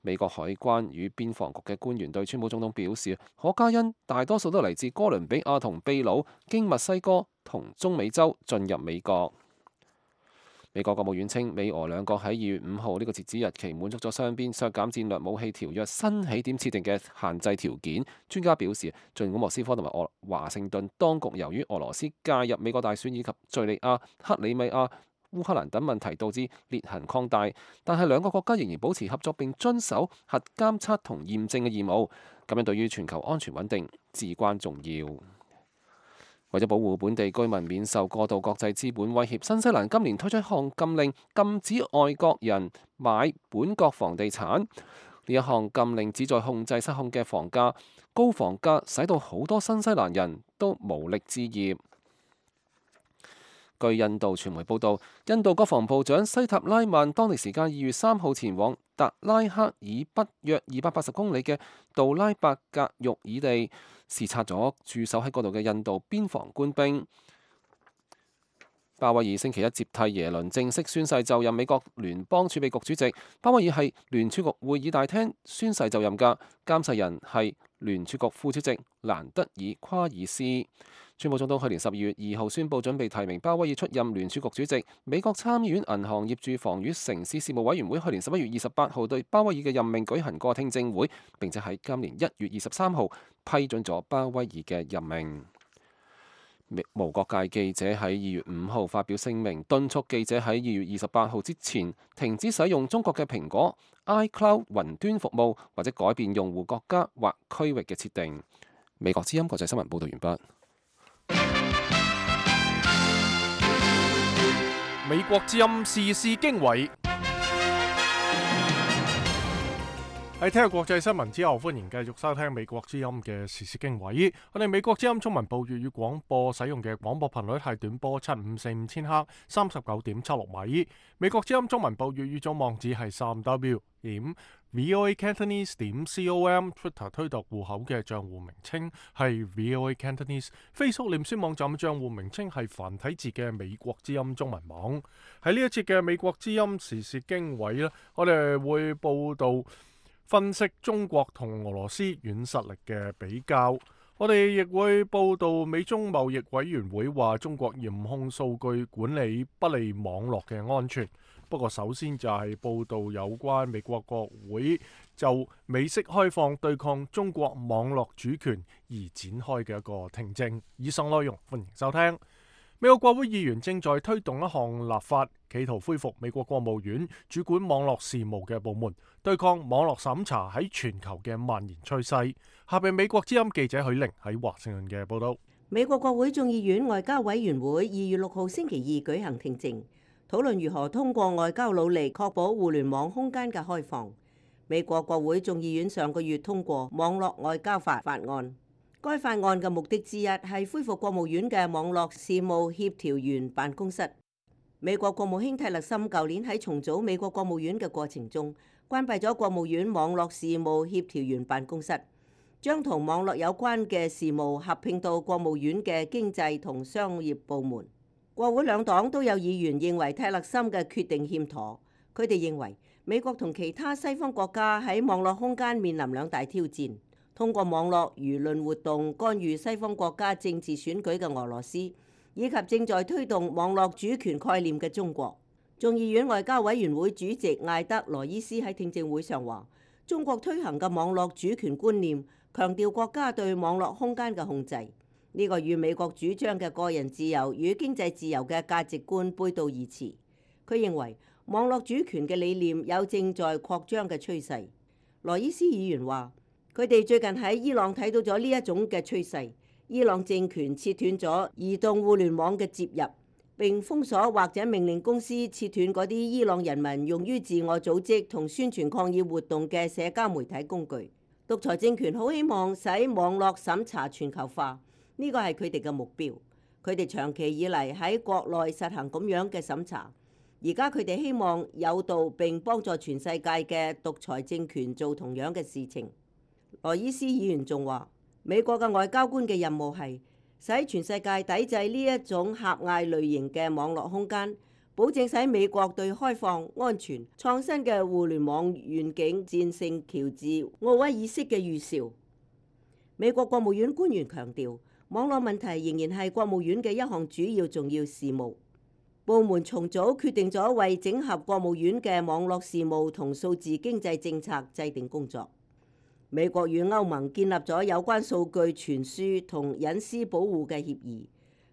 美國海關與邊防局嘅官員對川普總統表示，可卡因大多數都嚟自哥倫比亞同秘魯，經墨西哥同中美洲進入美國。美國國務院稱，美俄兩國喺2月5號呢個截止日期滿足咗雙邊削減戰略武器條約新起點設定嘅限制條件。專家表示，儘管莫斯科同埋華盛頓當局由於俄羅斯介入美國大選以及敘利亞、克里米亞、烏克蘭等問題導致裂痕擴大，但係兩個國家仍然保持合作並遵守核監測同驗證嘅義務，咁樣對於全球安全穩定至關重要。為咗保護本地居民免受過度國際資本威脅，新西蘭今年推出一項禁令，禁止外國人買本國房地產。呢一項禁令旨在控制失控嘅房價，高房價使到好多新西蘭人都無力置業。據印度傳媒報道，印度國防部長西塔拉曼當地時間2月3號前往達拉克以北約280公里嘅杜拉伯格育爾地視察咗駐守喺嗰度嘅印度邊防官兵。鮑威爾星期一接替耶倫正式宣誓就任美國聯邦儲備局主席。鮑威爾係聯儲局會議大廳宣誓就任㗎，監誓人係聯儲局副主席蘭德爾夸爾斯。川普總統去年12月2號宣布準備提名鮑威爾出任聯儲局主席。美國參議院銀行業住房與城市事務委員會去年11月28號對鮑威爾嘅任命舉行過聽證會，並且喺今年1月23號批准咗鮑威爾嘅任命。無國界記者喺2月5號發表聲明，敦促記者喺2月28號之前停止使用中國嘅蘋果 iCloud 雲端服務，或者改變用戶國家或區域嘅設定。美國之音國際新聞報道完畢。美國之音時事經緯。喺聽日國際新聞之後，歡迎繼續收聽美國之音嘅時事經緯。我哋美國之音中文部粵語廣播使用嘅廣播頻率係短波7545千赫39.76米。美國之音中文部粵語總網址係3w voacantonese.com。Twitter 推特戶口嘅賬戶名稱係 voacantonese。Facebook 臉書網站嘅賬戶名稱係繁體字嘅美國之音中文網。喺呢一節嘅美國之音時事經緯呢，我哋會報道分析中國同俄羅斯軟實力嘅比較，我哋亦會報道美中貿易委員會話中國嚴控數據管理不利網絡嘅安全。不過首先就係報道有關美國國會就美式開放對抗中國網絡主權而展開嘅一個聽證。以上內容歡迎收聽。美國國會議員正在推動一項立法，企圖恢復美國國務院主管網絡事務嘅部門，對抗網絡審查喺全球嘅蔓延趨勢。下邊美國之音記者許玲喺華盛頓嘅報道。美國國會眾議院外交委員會2月6號星期二舉行聽證，討論如何通過外交努力確保互聯網空間嘅開放。美國國會眾議院上個月通過網絡外交法案。該法案嘅目的之一係恢復國務院嘅網絡事務協調員辦公室。美國國務卿蒂勒森舊年喺重組美國國務院嘅過程中，關閉咗國務院網絡事務協調員辦公室，將同網絡有關嘅事務合併到國務院嘅經濟同商業部門。國會兩黨都有議員認為蒂勒森嘅決定欠妥，佢哋認為美國同其他西方國家喺網絡空間面臨兩大挑戰。通過網絡輿論活動干預西方國家政治選舉嘅俄羅斯，以及正在推動網絡主權概念嘅中國。眾議院外交委員會主席艾德羅伊斯喺聽證會上話，中國推行嘅網絡主權觀念強調國家對網絡空間嘅控制，呢個與美國主張嘅個人自由與經濟自由嘅價值觀背道而馳。佢認為網絡主權嘅理念有正在擴張嘅趨勢。羅伊斯議員話，佢哋最近喺伊朗睇到咗呢一種嘅趨勢。伊朗政權切斷咗移動互聯網嘅接入，並封鎖或者命令公司切斷嗰啲伊朗人民用於自我組織同宣傳抗議活動嘅社交媒體工具。獨裁政權好希望使網絡審查全球化，呢個係佢哋嘅目標。佢哋長期以嚟喺國內實行咁樣嘅審查，而家佢哋希望誘導並幫助全世界嘅獨裁政權做同樣嘅事情。羅伊斯議員仲話，美國嘅外交官嘅任務係使全世界抵制呢一種狹隘類型嘅網絡空間，保證使美國對開放、安全、創新嘅互聯網願景戰勝喬治奧威爾式嘅預兆。美國國務院官員強調，網絡問題仍然係國務院嘅一項主要重要事務。部門重組決定咗為整合國務院嘅網絡事務同數字經濟政策制定工作。美國與歐盟建立咗有關數據傳輸同隱私保護嘅協議。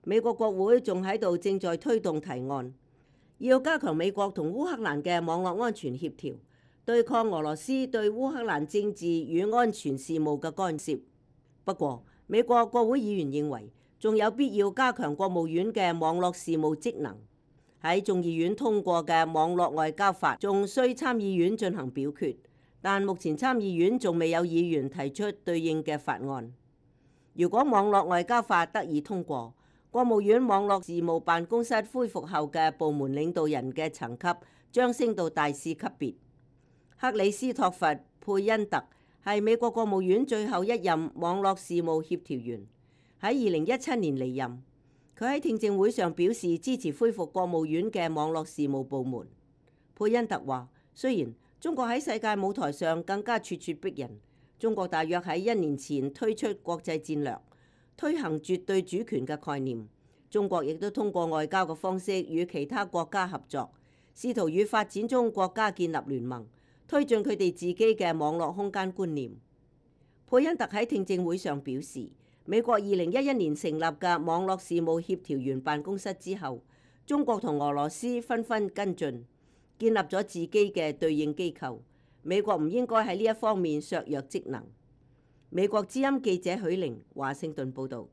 美國國會仲喺度正在推動提案，要加強美國同烏克蘭嘅網絡安全協調，對抗俄羅斯對烏克蘭政治與安全事務嘅干涉。不過，美國國會議員認為仲有必要加強國務院嘅網絡事務職能。喺眾議院通過嘅網絡外交法仲需參議院進行表決。但目前參議院仲未有議員提出對應嘅法案。如果網絡外交法得以通過，國務院網絡事務辦公室恢復後嘅部門領導人嘅層級將升到大使級別。克里斯托弗·佩恩特係美國國務院最後一任網絡事務協調員，喺2017年離任。佢喺聽證會上表示支持恢復國務院嘅網絡事務部門。佩恩特話：雖然中國喺世界舞台上更加咄咄逼人，中國大約喺1年前推出國際戰略，推行絕對主權嘅概念。中國亦都通過外交嘅方式與其他國家合作，試圖與發展中國家建立聯盟，推進佢哋自己嘅網絡空間觀念。佩恩特喺聽證會上表示，美國2011年成立嘅網絡事務協調員辦公室之後，中國同俄羅斯紛紛跟進，建立咗自己嘅對應機構。美國唔應該喺呢一方面削弱職能。美國之音記者許玲華盛頓報導。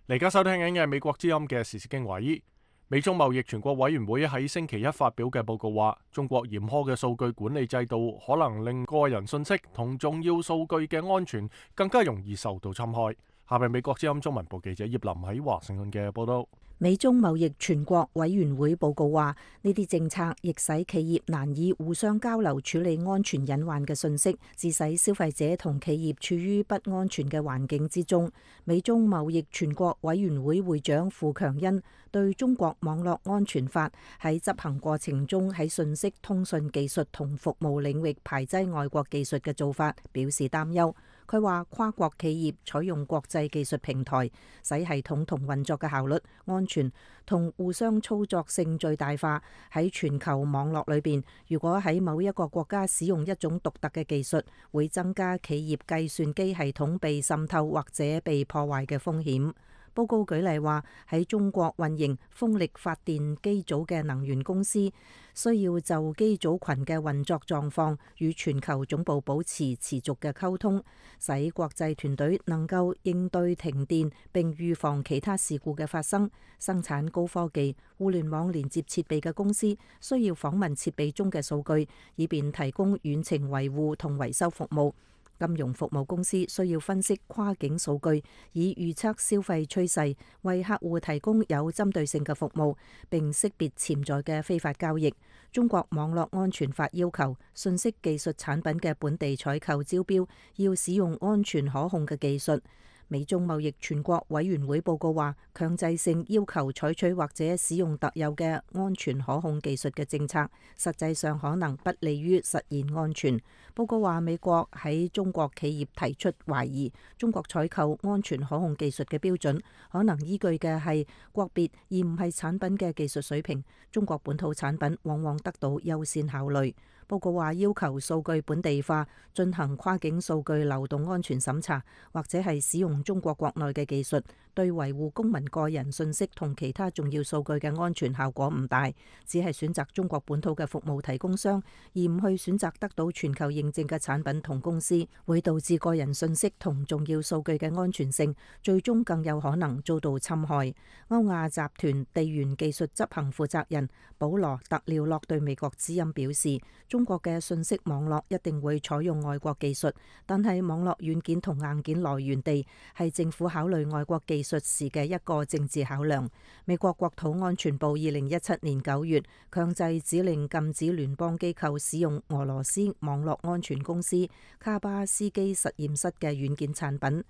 而家收聽緊嘅係美國之音嘅時事經緯。美中貿易全國委員會喺星期一發表嘅報告話，中國嚴苛嘅數據管理制度可能令個人信息同重要數據嘅安全更加容易受到侵害。下面美國之音中文部記者葉林喺華盛頓嘅報道。美中貿易全國委員會報告話，呢啲政策亦使企業難以互相交流處理安全隱患嘅信息，致使消費者同企業處於不安全嘅環境之中。美中貿易全國委員會會長傅強恩對中國網絡安全法喺執行過程中喺信息通訊技術同服務領域排擠外國技術嘅做法表示擔憂。佢話跨國企業採用國際技術平台，使系統同運作嘅效率、安全同互相操作性最大化。喺全球網絡裏邊，如果喺某一個國家使用一種獨特嘅技術，會增加企業計算機系統被滲透或者被破壞嘅風險。報告舉例話，喺中國運營風力發電機組嘅能源公司需要就機組群嘅運作狀況與全球總部保持持續嘅溝通，使國際團隊能夠應對停電並預防其他事故嘅發生。生產高科技互聯網連接設備嘅公司需要訪問設備中嘅數據，以便提供遠程維護同維修服務。金融服務公司需要分析跨境數據，以預測消費趨勢，為客戶提供有針對性嘅服務，並識別潛在嘅非法交易。中國網絡安全法要求信息技術產品嘅本地採購招標要使用安全可控嘅技術。美中貿易全國委員會報告話，強制性要求採取或者使用特有嘅安全可控技術嘅政策，實際上可能不利於實現安全。報告話，美國喺中國企業提出懷疑，中國採購安全可控技術嘅標準可能依據嘅係國別而唔係產品嘅技術水平。中國本土產品往往得到優先考慮。報告話，要求數據本地化，進行跨境數據流動安全審查，或者係使用中國國內嘅技術，對維護公民個人信息同其他重要數據嘅安全效果唔大，只係選擇中國本土嘅服務提供商，而唔去選擇得到全球認證嘅產品同公司，會導致個人信息同重要數據嘅安全性最終更有可能遭到侵害。歐亞集團地緣技術執行負責人保羅特廖洛對美國之音表示，中國嘅信息網絡一定會採用外國技術，但係網絡軟件同硬件來源地係政府考慮外國技術時嘅一個政治考量。美國國土安全部2017年9月強制指令禁止聯邦機構使用俄羅斯網絡安全公司卡巴斯基實驗室嘅軟件產品，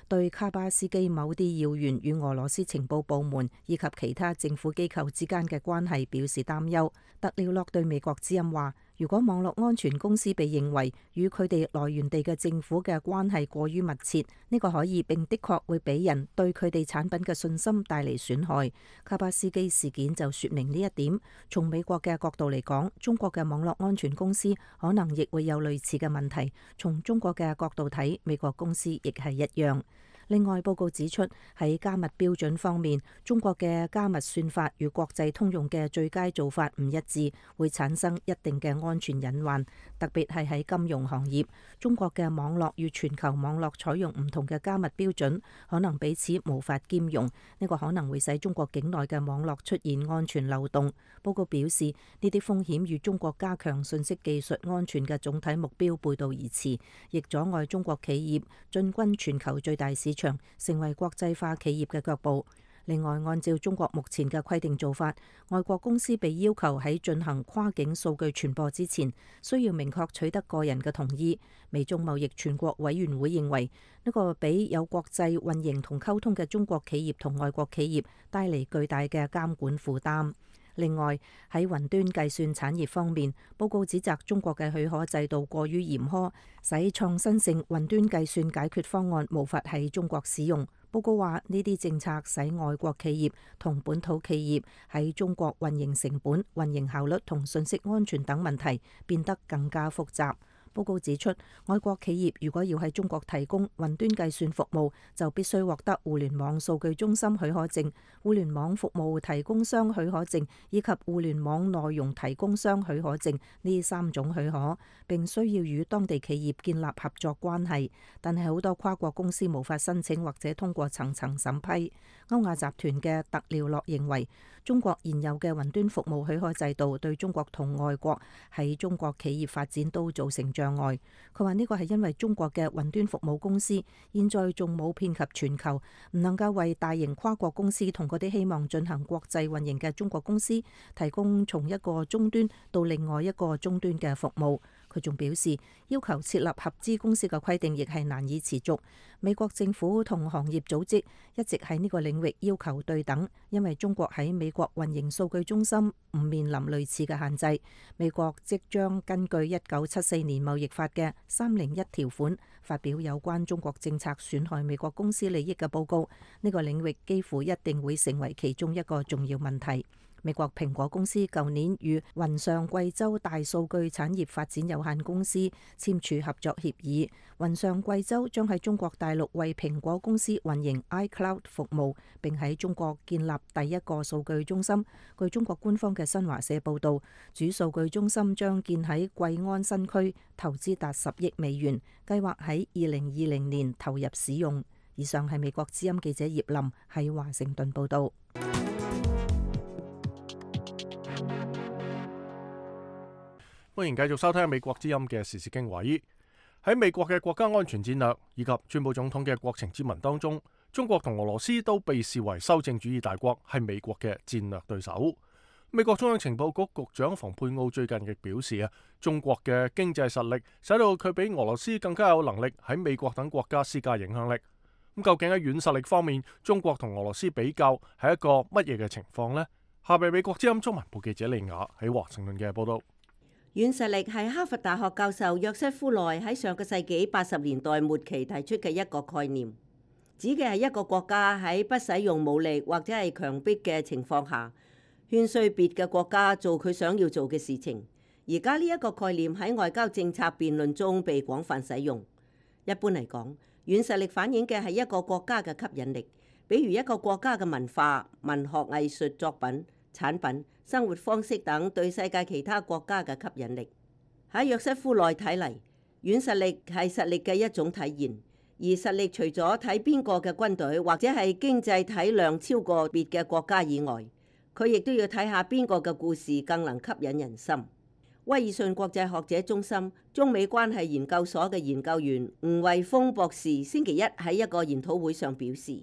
對卡巴斯基某啲要員與俄羅斯情報部門以及其他政府機構之間嘅關係表示擔憂。特廖洛對美國之音話，如果網絡安全公司被認為與佢哋來源地嘅政府嘅關係過於密切，呢個可以並的確會俾人對佢哋產品嘅信心帶嚟損害。卡巴斯基事件就說明呢一點。從美國嘅角度嚟講，中國嘅網絡安全公司可能亦會有類似嘅問題。從中國嘅角度睇，美國公司亦係一樣。另外，報告指出喺加密標準方面，中國嘅加密算法與國際通用嘅最佳做法唔一致，會產生一定嘅安全隱患。特別係喺金融行業，中國嘅網絡與全球網絡採用唔同嘅加密標準，可能彼此無法兼容。呢個可能會使中國境內嘅網絡出現安全漏洞。報告表示，呢啲風險與中國加強信息技術安全嘅總體目標背道而馳，亦阻礙中國企業進軍全球最大市場，成為國際化企業嘅腳步。另外，按照中國目前嘅規定做法，外國公司被要求喺進行跨境數據傳播之前，需要明確取得個人嘅同意。美中貿易全國委員會認為，呢個俾有國際運營同溝通嘅中國企業同外國企業帶嚟巨大嘅監管負擔。另外，喺雲端計算產業方面，報告指責中國嘅許可制度過於嚴苛，使創新性雲端計算解決方案無法喺中國使用。報告話，呢啲政策使外國企業同本土企業喺中國運營成本、運營效率同信息安全等問題變得更加複雜。報告指出，外國企業如果要喺中國提供雲端計算服務，就必須獲得互聯網數據中心許可證、互聯網服務提供商許可證以及互聯網內容提供商許可證呢3種許可，並需要與當地企業建立合作關係。但係好多跨國公司無法申請或者通過層層審批。歐亞集團嘅特廖洛認為，中國現有嘅雲端服務許可制度對中國同外國喺中國企業發展都造成障礙。佢話呢個係因為中國嘅雲端服務公司現在仲冇遍及全球，唔能夠為大型跨國公司同嗰啲希望進行國際運營嘅中國公司提供從一個終端到另外一個終端嘅服務。佢仲表示，要求設立合資公司嘅規定亦係難以持續。美國政府同行業組織一直喺呢個領域要求對等，因為中國喺美國運營數據中心唔面臨類似嘅限制。美國即將根據1974年貿易法嘅301條款發表有關中國政策損害美國公司利益嘅報告。呢個領域幾乎一定會成為其中一個重要問題。美國蘋果公司舊年與雲上貴州大數據產業發展有限公司簽署合作協議，雲上貴州將喺中國大陸為蘋果公司運營 iCloud 服務，並喺中國建立第一個數據中心。據中國官方嘅新華社報導，主數據中心將建喺貴安新區，投資達10億美元，計劃喺2020年投入使用。以上係美國之音記者葉林喺華盛頓報導。歡迎繼續收聽美國之音嘅時事經緯。喺美國嘅國家安全戰略以及川普總統嘅國情咨文當中，中國同俄羅斯都被視為修正主義大國，係美國嘅戰略對手。美國中央情報局局長蓬佩奧最近亦表示中國嘅經濟實力使到佢比俄羅斯更加有能力喺美國等國家施加影響力。咁究竟喺軟實力方面，中國同俄羅斯比較係一個乜嘢嘅情況呢？下邊美國之音中文部記者利亞喺華盛頓嘅報道。軟實力係哈佛大學教授約瑟夫內喺上個世紀80年代末期提出嘅一個概念，指嘅係一個國家喺不使用武力或者係強迫嘅情況下，勸說別嘅國家做佢想要做嘅事情。而家呢一個概念喺外交政策辯論中被廣泛使用。一般嚟講，軟實力反映嘅係一個國家嘅吸引力，比如一個國家嘅文化、文學藝術作品、產品、生活方式等對世界其他國家嘅吸引力。喺約瑟夫內睇嚟，軟實力係實力嘅一種體現，而實力除咗睇邊個嘅軍隊或者係經濟體量超過別嘅國家以外，佢亦都要睇下邊個嘅故事更能吸引人心。威爾遜國際學者中心中美關係研究所嘅研究員吳惠峰博士星期一喺一個研討會上表示，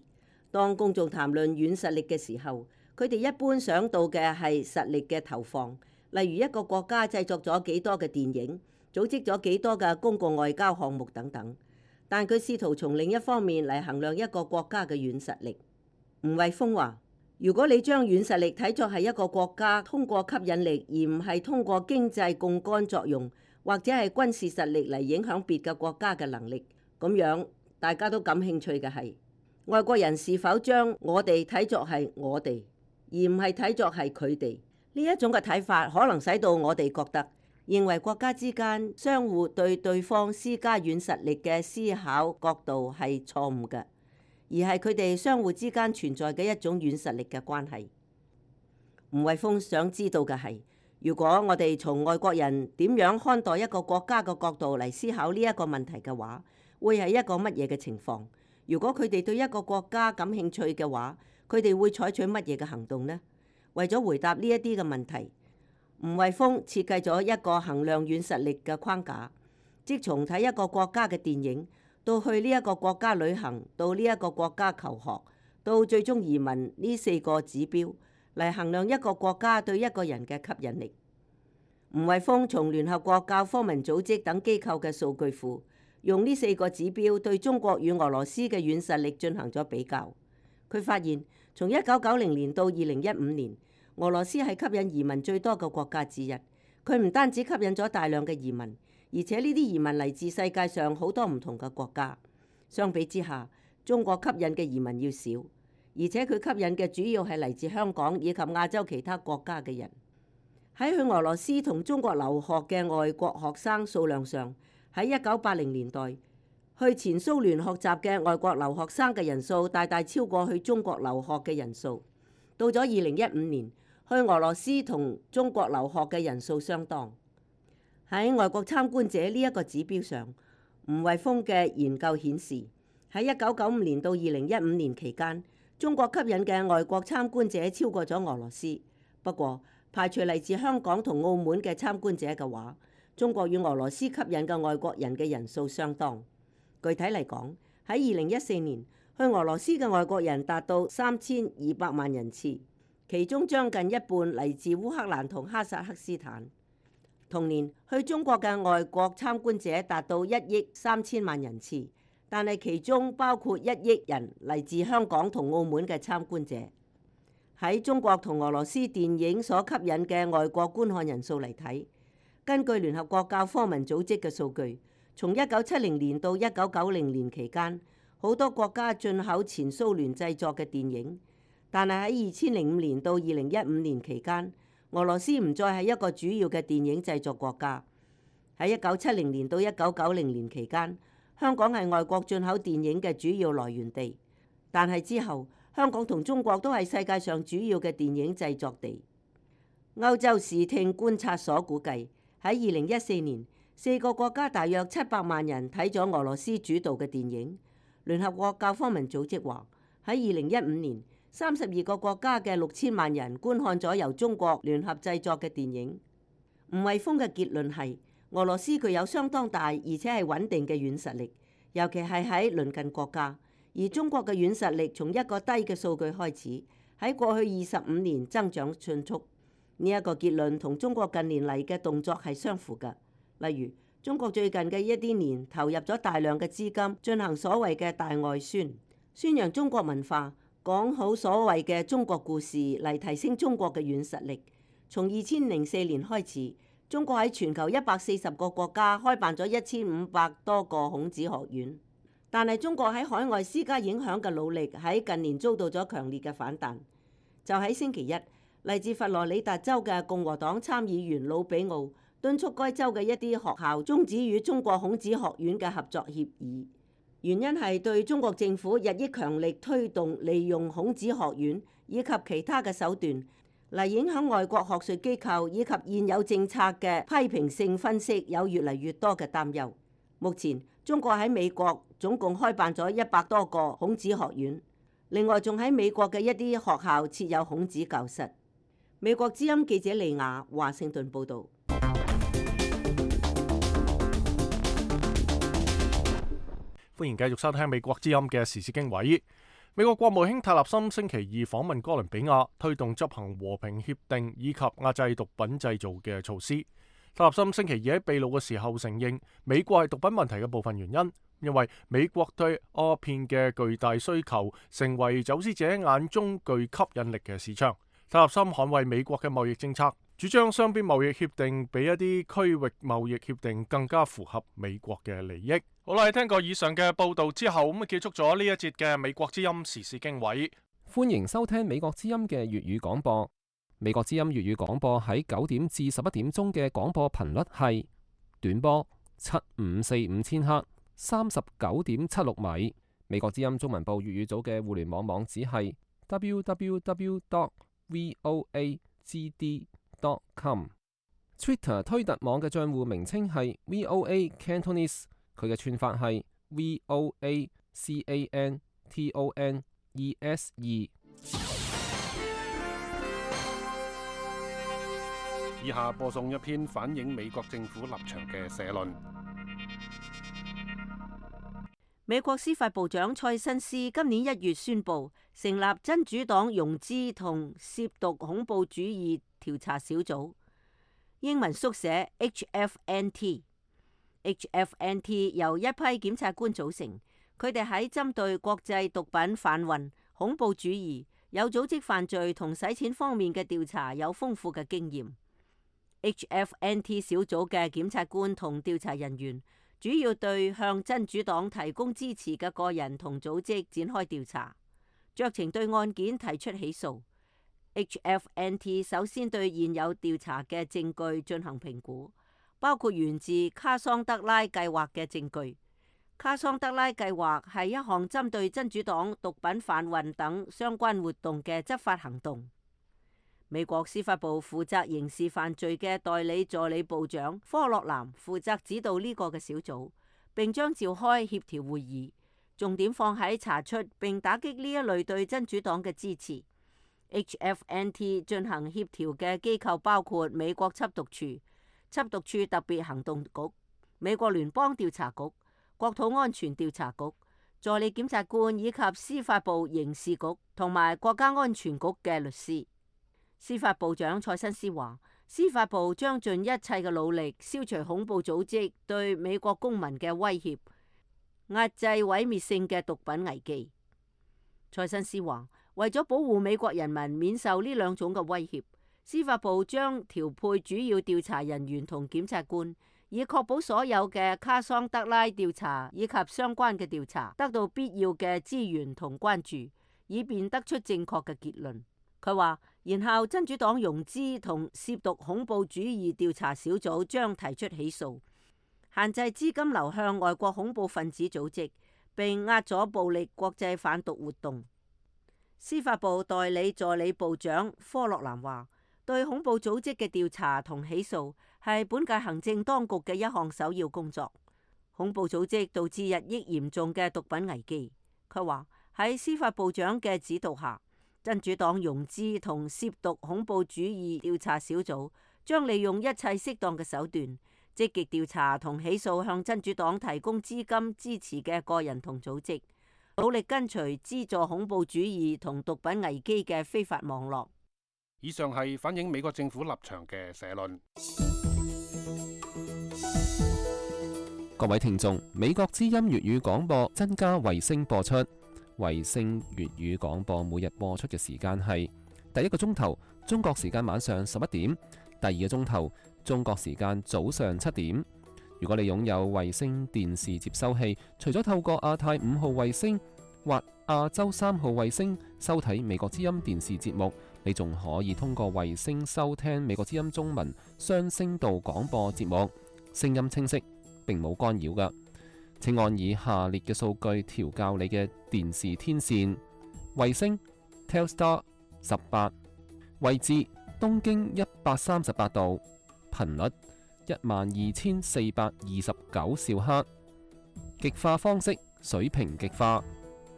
當公眾談論軟實力嘅時候，佢哋一般想到嘅係實力嘅投放，例如一個國家製作咗幾多嘅電影，組織咗幾多嘅公共外交項目等等。但佢試圖從另一方面嚟衡量一個國家嘅軟實力。吳惠峰話：如果你將軟實力睇作係一個國家通過吸引力，而唔係通過經濟槓桿作用或者係軍事實力嚟影響別嘅國家嘅能力，咁樣大家都感興趣嘅係外國人是否將我哋睇作係我哋，而唔係睇作係佢哋。呢一種嘅睇法可能使到我哋覺得認為國家之間相互對對方施加軟實力嘅思考角度係錯誤嘅，而係佢哋相互之間存在嘅一種軟實力嘅關係。吳惠峰想知道嘅係，如果我哋從外國人點樣看待一個國家嘅角度嚟思考呢一個問題嘅話，會係一個乜嘢嘅情況？如果佢哋對一個國家感興趣嘅話，佢哋會採取乜嘢嘅行動呢？為咗回答呢一啲嘅問題，吳惠峰設計咗一個衡量軟實力嘅框架，即從睇一個國家嘅電影，到去呢一個國家旅行，到呢一個國家求學，到最終移民呢4個指標嚟衡量一個國家對一個人嘅吸引力。吳惠峰從聯合國教科文組織等機構嘅數據庫，用呢4個指標對中國與俄羅斯嘅軟實力進行咗比較。佢發現，從1990年到2015年，俄羅斯係吸引移民最多嘅國家之一。佢唔單止吸引咗大量嘅移民，而且呢啲移民嚟自世界上好多唔同嘅國家。相比之下，中國吸引嘅移民要少，而且佢吸引嘅主要係嚟自香港以及亞洲其他國家嘅人。喺去俄羅斯同中國留學嘅外國學生數量上，喺1980年代，去前蘇聯學習嘅外國留學生嘅人數大大超過去中國留學嘅人數。到咗2015年，去俄羅斯同中國留學嘅人數相當。喺外國參觀者呢一個指標上，吳惠峰嘅研究顯示，喺1995年到2015年期間，中國吸引嘅外國參觀者超過咗俄羅斯。不過，排除嚟自香港同澳門嘅參觀者嘅話，中國與俄羅斯吸引嘅外國人嘅人數相當。具體嚟講，喺2014年，去俄羅斯嘅外國人達到3200萬人次，其中將近一半嚟自烏克蘭同哈薩克斯坦。同年，去中國嘅外國參觀者達到1億3000萬人次，但係其中包括1億人嚟自香港同澳門嘅參觀者。喺中國同俄羅斯電影所吸引嘅外國觀看人數嚟睇，根據聯合國教科文組織嘅數據，從1970年到1990年期間，好多國家進口前蘇聯製作嘅電影，但係喺2005年到2015年期間，俄羅斯唔再係一個主要嘅電影製作國家。喺1970年到1990年期間，香港係外國進口電影嘅主要來源地，但係之後，香港同中國都係世界上主要嘅電影製作地。歐洲視聽觀察所估計，喺2014年，4個國家大約700萬人睇咗俄羅斯主導嘅電影。聯合國教科文組織話，喺2015年，32個國家嘅6000萬人觀看咗由中國聯合製作嘅電影。吳惠峰嘅結論係，俄羅斯具有相當大而且係穩定嘅軟實力，尤其係喺鄰近國家。而中國嘅軟實力從一個低嘅數據開始，喺過去25年增長迅速。呢一個結論同中國近年嚟嘅動作係相符嘅。例如，中國最近嘅一啲年投入咗大量嘅資金進行所謂嘅大外宣，宣揚中國文化，講好所謂嘅中國故事嚟提升中國嘅軟實力。從2004年開始，中國喺全球140個國家開辦咗1500多個孔子學院。但係中國喺海外施加影響嘅努力喺近年遭到咗強烈嘅反彈。就喺星期一，嚟自佛羅里達州嘅共和黨參議員魯比奧敦促該州嘅一啲學校終止與中國孔子學院嘅合作協議，原因係對中國政府日益強力推動利用孔子學院以及其他嘅手段嚟影響外國學術機構以及現有政策嘅批評性分析有越嚟越多嘅擔憂。目前中國喺美國總共開辦咗100多個孔子學院，另外仲喺美國嘅一啲學校設有孔子教室。美國之音記者利亞華盛頓報導。歡迎繼續收聽美國之音嘅時事經緯。美國國務卿塔納森星期二訪問哥倫比亞，推動執行和平協定以及壓制毒品製造嘅措施。塔納森星期二喺秘魯嘅時候承認，美國係毒品問題嘅部分原因，因為美國對鴉片嘅巨大需求，成為走私者眼中具吸引力嘅市場。塔納森捍衛美國嘅貿易政策，主張雙邊貿易協定比一啲區域貿易協定更加符合美國嘅利益。好啦，聽過以上嘅報道之後，咁啊結束咗呢一節嘅美國之音時事經緯。歡迎收聽美國之音嘅粵語廣播。美國之音粵語廣播喺9點至11點鐘嘅廣播頻率係短波7545千赫，39.76米；美國之音中文部粵語組嘅互聯網網址係 www.voagd.com。Twitter 推特網嘅帳戶名稱係 VOA Cantonese， 佢嘅串法係 VOACANTONESE。以下播送一篇反映美國政府立場嘅社論。美國司法部長蔡新斯今年1月宣布成立真主黨溶資同涉毒恐怖主義調查小組，英文縮寫 HFNT。HFNT 由一批檢察官組成，佢哋喺針對國際毒品販運、恐怖主義、有組織犯罪同洗錢方面嘅調查有豐富嘅經驗。HFNT 小組嘅檢察官同調查人員主要對向真主黨提供支持嘅個人同組織展開調查，酌情對案件提出起訴。HFNT 首先對現有調查嘅證據進行評估，包括源自卡桑德拉計劃嘅證據。卡桑德拉計劃係一項針對真主黨毒品販運等相關活動嘅執法行動。美國司法部負責刑事犯罪嘅代理助理部長科洛南負責指導呢個嘅小組，並將召開協調會議，重點放喺查出並打擊呢一類對真主黨嘅支持。HFNT 進行協調嘅機構包括美國緝毒處、緝毒處特別行動局、美國聯邦調查局、國土安全調查局、助理檢察官以及司法部刑事局同埋國家安全局嘅律師。司法部長蔡新斯話，司法部將盡一切嘅努力消除恐怖組織對美國公民嘅威脅，壓制毀滅性嘅毒品危機。蔡新斯話，為咗保護美國人民免受呢兩種嘅威脅，司法部將調配主要調查人員同檢察官，以確保所有嘅卡桑德拉調查以及相關嘅調查得到必要嘅資源同關注，以便得出正確嘅結論。佢話，然後真主黨溶資同涉毒恐怖主義調查小組將提出起訴，限制資金流向外國恐怖分子組織，並壓阻暴力國際販毒活動。司法部代理助理部長科洛南話，對恐怖組織嘅調查同起訴係本屆行政當局嘅一項首要工作。恐怖組織導致日益嚴重嘅毒品危機。佢話，喺司法部長嘅指導下，真主黨溶資同涉毒恐怖主義調查小組將利用一切適當嘅手段，積極調查同起訴向真主黨提供資金支持嘅個人同組織，努力根除資助恐怖主義同毒品危機嘅非法網絡。以上係反映美國政府立場嘅社論。各位聽眾，美國之音粵語廣播增加衛星播出。衛星粵語廣播每日播出嘅時間係第一個鐘頭中國時間晚上11點，第二個鐘頭中國時間早上7點。如果你擁有衛星電視接收器，除咗透過亞太5號衛星或亞洲3號衛星收睇美國之音電視節目，你仲可以通過衛星收聽美國之音中文雙聲道廣播節目，聲音清晰，並冇干擾㗎。請按以下列嘅數據調校你嘅電視天線：衛星 Telstar 18，位置東經138度，頻率12429兆赫，極化方式水平極化，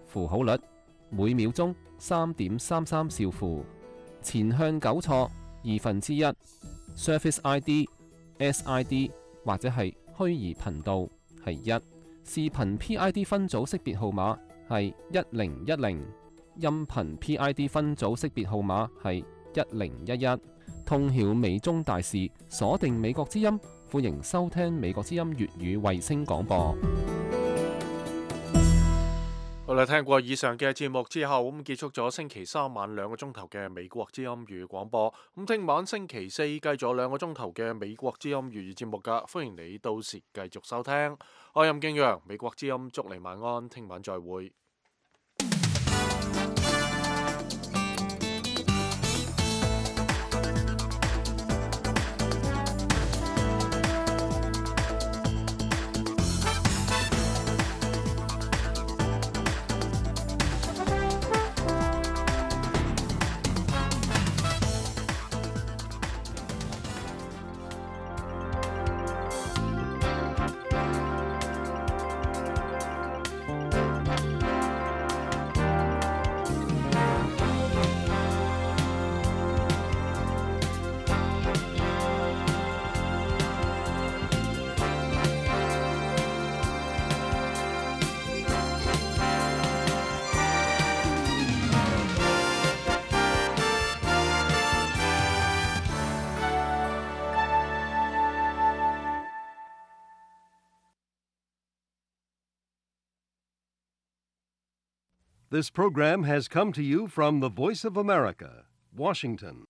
符號率每秒鐘3.33兆符，前向糾錯1/2， Surface ID、SID 或者係虛擬頻道係1。視頻 PID 分組識別號碼係1010，音頻 PID 分組識別號碼係1011。通曉美中大事，鎖定美國之音，歡迎收聽美國之音粵語衛星廣播。好啦，聽過以上嘅節目之後，咁結束咗星期三晚2個鐘頭嘅美國之音粵語廣播。咁聽晚星期四繼續2個鐘頭嘅美國之音粵語節目噶，歡迎你到時繼續收聽。我係任敬陽，美國之音，祝你晚安，聽晚再會。This program has come to you from the Voice of America, Washington.